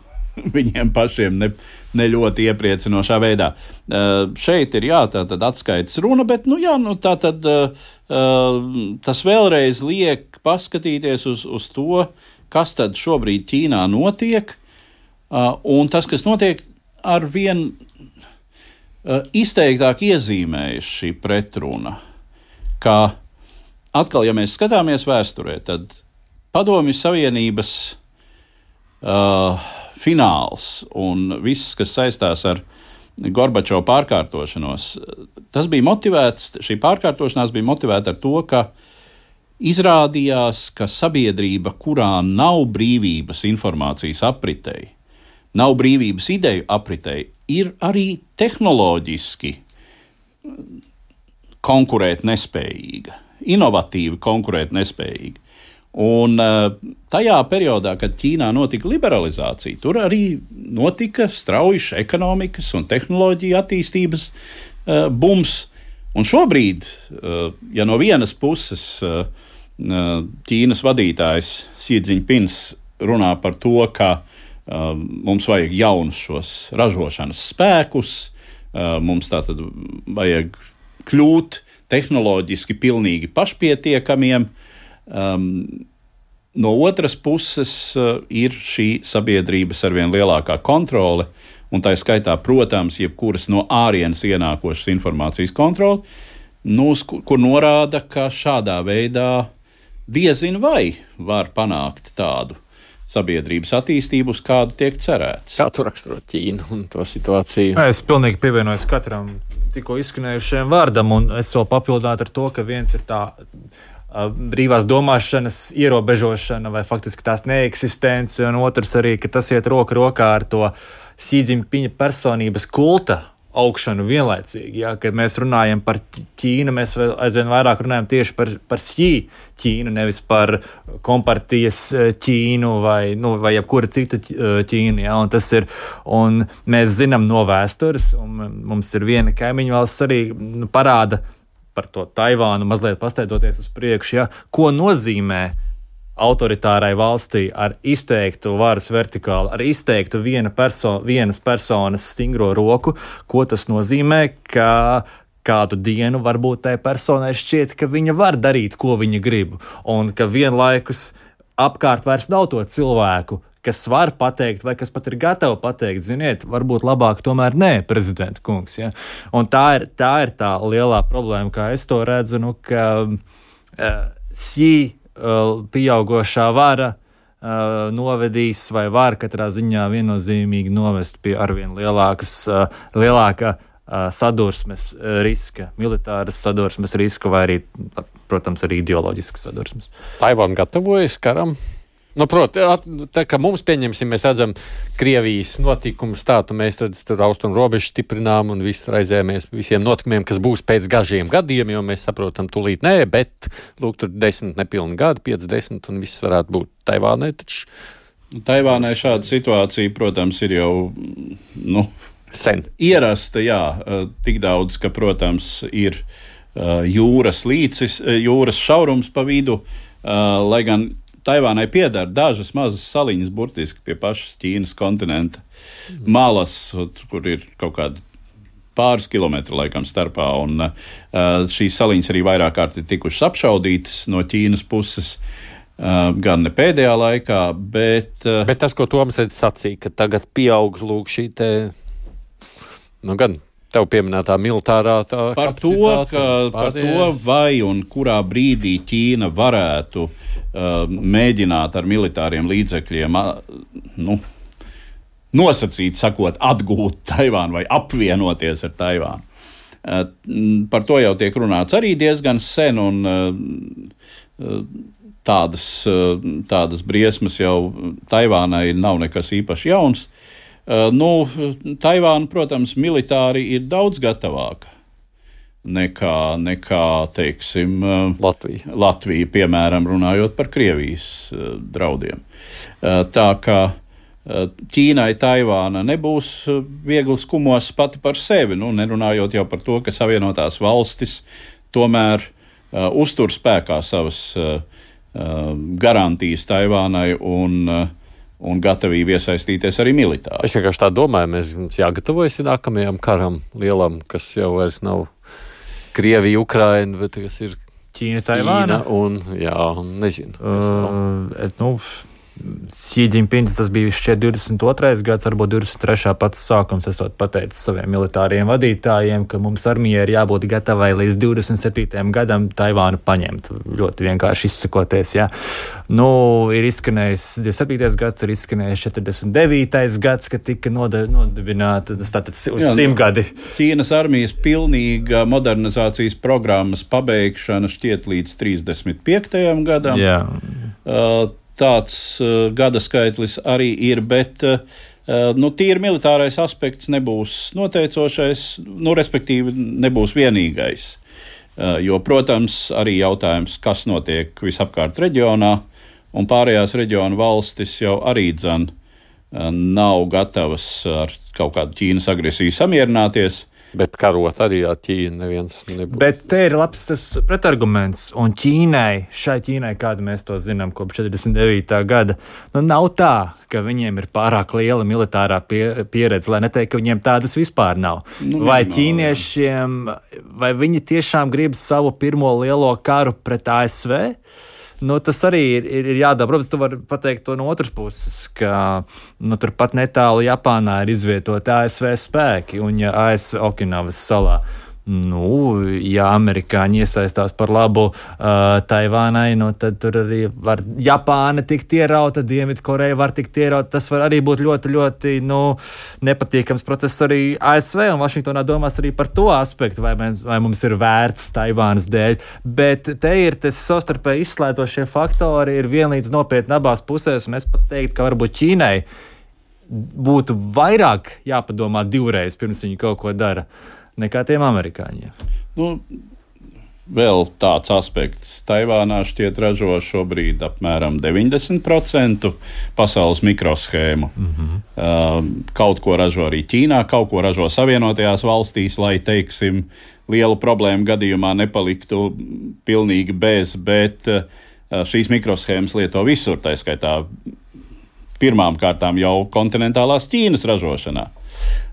viņiem pašiem ne, ne ļoti iepriecinošā veidā. Uh, šeit ir jā, tā tad atskaites runa, bet nu jā, nu tā tad uh, uh, tas vēlreiz liek paskatīties uz, uz to, kas tad šobrīd Ķīnā notiek. Uh, un tas, kas notiek, ar vien uh, izteiktāk iezīmējas šī pretruna, ka atkal, ja mēs skatāmies vēsturē, tad Padomju Savienības uh, fināls un viss, kas saistās ar Gorbačova pārkārtošanos, tas bija motivēts, šī pārkārtošanās bija motivēta ar to, ka izrādījās, ka sabiedrība, kurā nav brīvības informācijas apritei, nav brīvības ideju apritei, ir arī tehnoloģiski konkurēt nespējīga, inovatīvi konkurēt nespējīga. Un tajā periodā, kad Ķīnā notika liberalizācija, tur arī notika strauji ekonomikas un tehnoloģiju attīstības uh, bums. Un šobrīd, uh, ja no vienas puses uh, Ķīnas vadītājs Xi Džiņpins runā par to, ka uh, mums vajag jaunus šos ražošanas spēkus, uh, mums tātad vajag kļūt tehnoloģiski pilnīgi pašpietiekamiem. Um, no otras puses uh, ir šī sabiedrības arvien lielākā kontrole, un tā skaitā, protams, jebkuras no ārienes ienākošas informācijas kontrole, nu, kur norāda, ka šādā veidā diezin vai var panākt tādu sabiedrības attīstību, uz kādu tiek cerēts. Kā tu raksturot Ķīnu un to situāciju? Es pilnīgi pievienojos katram tikko izskanējušajam vārdam, un es vēl papildinātu ar to, ka viens ir tā uh, brīvās domāšanas ierobežošana vai faktiski tās neeksistence, un otrs arī, ka tas iet roku rokā ar to Xi Džiņpina personības kulta augšanu vienlaicīgi. Ja? Kad mēs runājam par Ķīnu, mēs aizvien vairāk runājam tieši par, par Xi Ķīnu, nevis par kompartijas Ķīnu vai, nu, vai jebkura cita Ķīna. Ja? Un tas ir, un mēs zinām no vēstures, un mums ir viena kaimiņu valsts arī nu, parāda par to Taivānu, mazliet pasteidzoties uz priekšu, ja? Ko nozīmē autoritārai valstī ar izteiktu varas vertikālu, ar izteiktu viena perso- vienas personas stingro roku, ko tas nozīmē, ka kādu dienu varbūt tai personai šķiet, ka viņa var darīt, ko viņa grib, un ka vienlaikus apkārt vairs nav to cilvēku, kas var pateikt, vai kas pat ir gatavi pateikt, ziniet, varbūt labāk tomēr nē, prezidenta kungs. Ja? Un tā ir, tā ir tā lielā problēma, kā es to redzu, nu, ka uh, Xi pieaugošā vara uh, novedīs vai var katrā ziņā viennozīmīgi novest pie arvien lielākas, uh, lielāka uh, sadursmes riska, militāras sadursmes riska vai arī, protams, arī ideoloģiskas sadursmes. Taivāna gatavojas karam? Nu, protams, tā kā mums pieņemsim, mēs redzam Krievijas notikumus tādu, mēs redz, tur austrumu robežu stiprinām un visu raizējamies visiem notikumiem, kas būs pēc gažiem gadiem, jo mēs saprotam tūlīt nē, bet, lūk, tur desmit nepilni gadi, piecdesmit un viss varētu būt Taivānai taču. Taivānai šāda situācija, protams, ir jau, nu, sen ierasta, jā, tik daudz, ka, protams, ir jūras līcis, jūras šaurums pa vidu, lai gan Taivānai pieder dažas mazas saliņas burtiski pie pašas Ķīnas kontinenta malas, kur ir kaut kādi pāris kilometri laikam starpā, un uh, šīs saliņas arī vairāk kārt ir tikušas apšaudītas no Ķīnas puses, uh, gan ne pēdējā laikā, bet... Uh, bet tas, ko Toms redz sacīja, ka tagad pieaug lūk šī te, nu gan... Tev pieminētā militārā tā par to, ka, par to, vai un kurā brīdī Ķīna varētu uh, mēģināt ar militāriem līdzekļiem uh, nu, nosacīt, sakot, atgūt Taivānu vai apvienoties ar Taivānu. Uh, par to jau tiek runāts arī diezgan sen, un uh, tādas, uh, tādas briesmas jau Taivānai nav nekas īpaši jauns. Uh, nu, Taivāna, protams, militāri ir daudz gatavāka nekā, nekā teiksim, uh, Latvija. Latvija, piemēram, runājot par Krievijas uh, draudiem. Uh, tā kā uh, Ķīnai Taivāna nebūs uh, viegls kumos pati par sevi, nu, nerunājot jau par to, ka Savienotās valstis tomēr uh, uztur spēkā savas uh, uh, garantijas Taivānai un uh, un gatavību iesaistīties arī militāri. Es vienkārši tā domāju, mēs mums jāgatavojas nākamajam karam lielam, kas jau vairs nav Krievija, Ukraina, bet kas ir Ķīna, Taivāna. Ķīna un, jā, un nezinu. Uh, nu, Xi Jinpings, tas bija šķiet divdesmit otrais gads, varbūt divdesmit trešā pats sākums, esot pateicis saviem militāriem vadītājiem, ka mums armijai ir jābūt gatavai līdz divdesmit septītajam gadam Taivānu paņemt. Ļoti vienkārši izsakoties, jā. Nu, ir izskanējis divdesmit septītais gads, ir izskanējis četrdesmit devītais gads, kad tika nodibināta, tas tātad uz simtgadi. Ķīnas armijas pilnīga modernizācijas programmas pabeigšana šķiet līdz trīsdesmit piektajam gadam. Jā. Uh, Tāds uh, gada skaitlis arī ir, bet uh, nu, tīri militārais aspekts nebūs noteicošais, nu, respektīvi nebūs vienīgais. Uh, jo, protams, arī jautājums, kas notiek visapkārt reģionā, un pārējās reģionu valstis jau arī dzan uh, nav gatavas ar kaut kādu Ķīnas agresiju samierināties. Bet karot arī ar Ķīnu neviens nebūs. Bet te ir labs tas pretarguments, un Ķīnai, šai Ķīnai, kādu mēs to zinām kopš četrdesmit devītā gada, nu nav tā, ka viņiem ir pārāk liela militārā pie, pieredze, lai neteikt, ka viņiem tādas vispār nav. Nu, vai ķīniešiem, vai viņi tiešām grib savu pirmo lielo karu pret A S V? Nu, tas arī ir, ir, ir jādara. Protams, tu vari pateikt to no otras puses, ka nu, turpat netālu Japānā ir izvietoti A S V spēki, un ja A S V Okinavas salā, nu, ja amerikāņi iesaistās par labu uh, Taivānai, nu, tad tur arī var Japāna tikt ierauta, Dienvidkoreja var tikt ierauta. Tas var arī būt ļoti, ļoti nu, nepatīkams process arī A S V, un Vašingtonā domās arī par to aspektu, vai, mēs, vai mums ir vērts Taivānas dēļ. Bet te ir tas savstarpēji izslēdzošie faktori, ir vienlīdz nopietni abās pusēs, un es pat teiktu, ka varbūt Ķīnai būtu vairāk jāpadomā divreiz, pirms viņi kaut ko dara, nekā tiem amerikāņiem. Nu, vēl tāds aspekts. Taivānā šķiet ražo šobrīd apmēram deviņdesmit procentu pasaules mikroshēmu. Mm-hmm. Uh, kaut ko ražo arī Ķīnā, kaut ko ražo Savienotajās valstīs, lai, teiksim, lielu problēmu gadījumā nepaliktu pilnīgi bez, bet uh, šīs mikroshēmas lieto visur, tā skaitā pirmām kārtām jau kontinentālās Ķīnas ražošanā.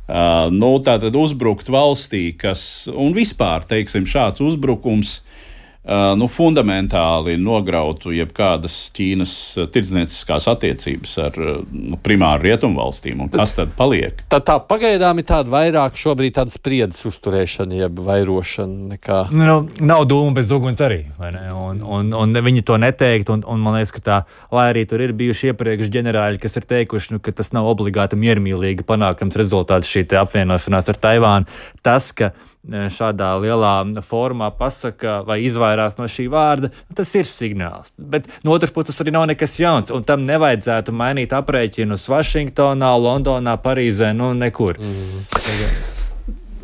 Uh, nu, tātad uzbrukt valstī, kas, un vispār, teiksim, šāds uzbrukums uh, nu, fundamentāli nograutu jebkādas Ķīnas tirdznieciskās attiecības ar nu, primāri rietumu valstīm, un kas tad paliek? Tad tā pagaidām ir tāda vairāk šobrīd tāda spriedzes uzturēšana, jeb vairošana nekā. Nu, nav dūma bez uguns arī, vai ne? Un, un, un viņi to neteikt, un, un man liekas, ka tā, lai arī tur ir bijuši iepriekš ģenerāļi, kas ir teikuši, nu, ka tas nav obligāti miermīlīgi panākams rezultāts šī apvienošanās ar Taivānu. Tas, ka šādā lielā formā pasaka vai izvairās no šī vārda, tas ir signāls. Bet no otras puses tas arī nav nekas jauns, un tam nevajadzētu mainīt aprēķinus Vašingtonā, Londonā, Parīzē, nu nekur. Mm.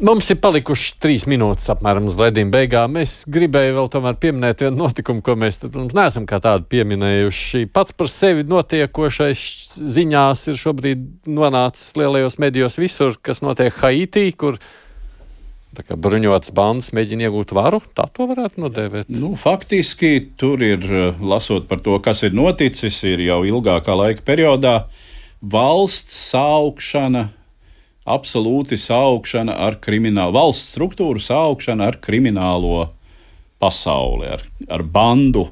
Mums ir palikušas trīs minūtes apmēram uz ledījuma beigām. Es gribēju vēl tomēr pieminēt vienu notikumu, ko mēs tad, protams, neesam kā tādu pieminējuši. Pats par sevi notiekošais ziņās ir šobrīd nonācis lielajos medijos visur, kas notiek Haitī, kur tā kā bruņotas bandas mēģina iegūt varu. Tā to varētu nodēvēt. Nu, faktiski tur ir, lasot par to, kas ir noticis, ir jau ilgākā laika periodā valsts saukšana, absolūti saukšana ar kriminālu, valsts struktūru saukšana ar kriminālo pasauli, ar, ar bandu,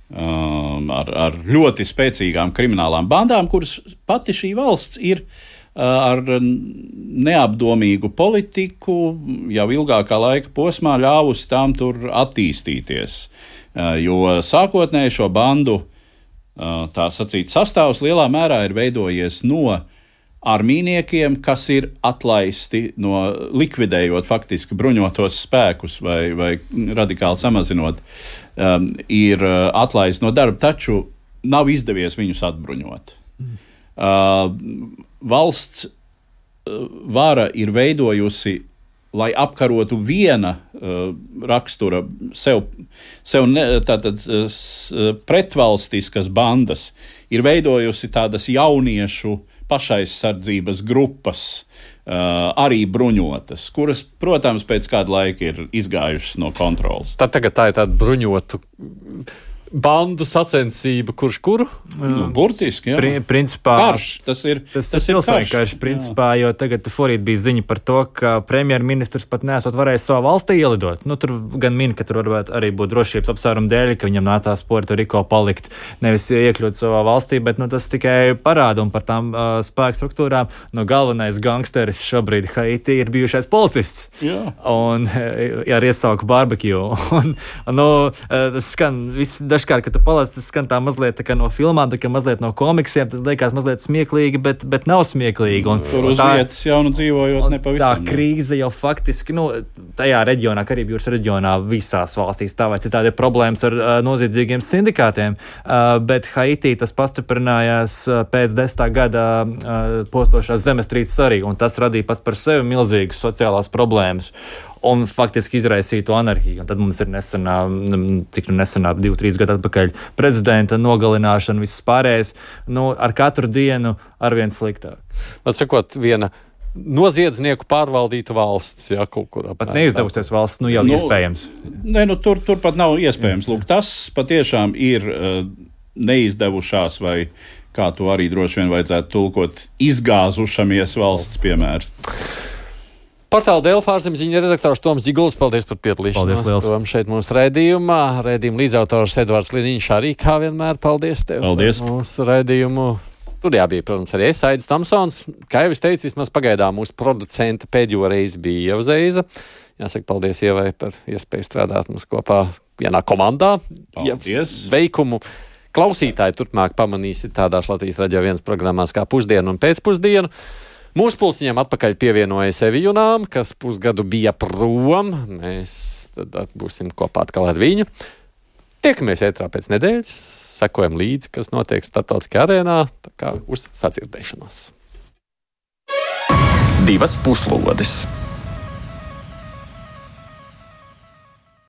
um, ar, ar ļoti spēcīgām kriminālām bandām, kuras pati šī valsts ir uh, ar neapdomīgu politiku jau ilgākā laika posmā ļāvusi tām tur attīstīties. Uh, jo sākotnēji šo bandu, uh, tā sacīt, sastāvs lielā mērā ir veidojies no armīniekiem, kas ir atlaisti no likvidējot faktiski bruņotos spēkus vai, vai radikāli samazinot, um, ir atlaisti no darba, taču nav izdevies viņus atbruņot. Mm. Uh, valsts uh, vara ir veidojusi, lai apkarotu viena uh, rakstura sev, sev ne, tātad, uh, pretvalstiskas bandas, ir veidojusi tādas jauniešu pašaizsardzības grupas, uh, arī bruņotas, kuras, protams, pēc kāda laika ir izgājušas no kontrolas. Tad tagad tā ir tāda bruņotu bandu sacensība, kurš kuru? Nu, burtiski, jā. Pri, principā, karš, tas ir tas, tas ir pilsēņu karš, karš, principā, jā. Jo tagad forīt bija ziņa par to, ka premjerministrs pat nesot varējis savā valstī ielidot. Nu, tur gan min, ka tur varētu arī būt drošības apsvērumu dēļ, ka viņam nācās Puerto Rico palikt, nevis iekļūt savā valstī, bet nu, tas tikai parāda un par tām uh, spēku struktūrām. Nu, galvenais gangsteris šobrīd Haiti ir bijušais policists. Jā. Un jā, ar iesauku barbecue. Un, nu, tas skan viss dažkārt, kad tu palāc, tas skan tā mazliet tā kā no filmām, tā kā mazliet no komiksiem, tas liekas mazliet smieklīgi, bet, bet nav smieklīgi. Un, Tur uz tā, vietas jau nu dzīvojot nepavisam. Tā krīze jau faktiski, nu, tajā reģionā, Karību jūras reģionā, visās valstīs tā vai citādi ir problēmas ar uh, noziedzīgiem sindikātiem, uh, bet Haitī tas pastiprinājās uh, pēc desmitā gada uh, postošās zemestrīces arī, un tas radīja pats par sevi milzīgas sociālās problēmas. Un faktiski izraisītu anarhiju. Un tad mums ir nesenā, cik nu nesenā, divi, trīs gadu atpakaļ prezidenta nogalināšana, viss pārējais, nu, ar katru dienu arvien sliktāk. Atsakot, viena noziedznieku pārvaldīta valsts, jā, kaut kur apmēram. Pat neizdevusies valsts, nu jau nu, iespējams. Nē, nu tur, tur pat nav iespējams. Lūk, tas patiešām ir uh, neizdevušās vai, kā to arī droši vien vajadzētu tulkot, izgāzušamies valsts piemērs. Portāla Delfa ārzemziņu redaktors Toms Dziguls, paldies par piedalīšanos. Paldies, Tom šeit mūsu raidījumā. Raidījuma līdzautors Edvards Liniņš arī, kā vienmēr, paldies tev. Paldies. Mūsu raidījumu studijā bija, protams, arī es, Aidis Tamsons. Kā jau es teicu, vismaz pagaidām mūsu producenta pēdējo reizi bija Ieva Zeiza. Jāsaka, paldies Ievai par iespēju strādāt mums kopā vienā komandā. Paldies. Veikumu klausītāji turpmāk pamanīsiet tādās Latvijas radio vienas programmās kā Pusdienu un Pēcpusdienu. Mūsu pulciņām atpakaļ pievienojas Evijunām, kas pusgadu bija prom. Mēs tad būsim kopā atkal ar viņu. Tiekamies ētrā pēc nedēļas, sekojam līdzi, kas notiek starptautiskajā arēnā, tā kā uz sadzirdēšanos. divas puslodes.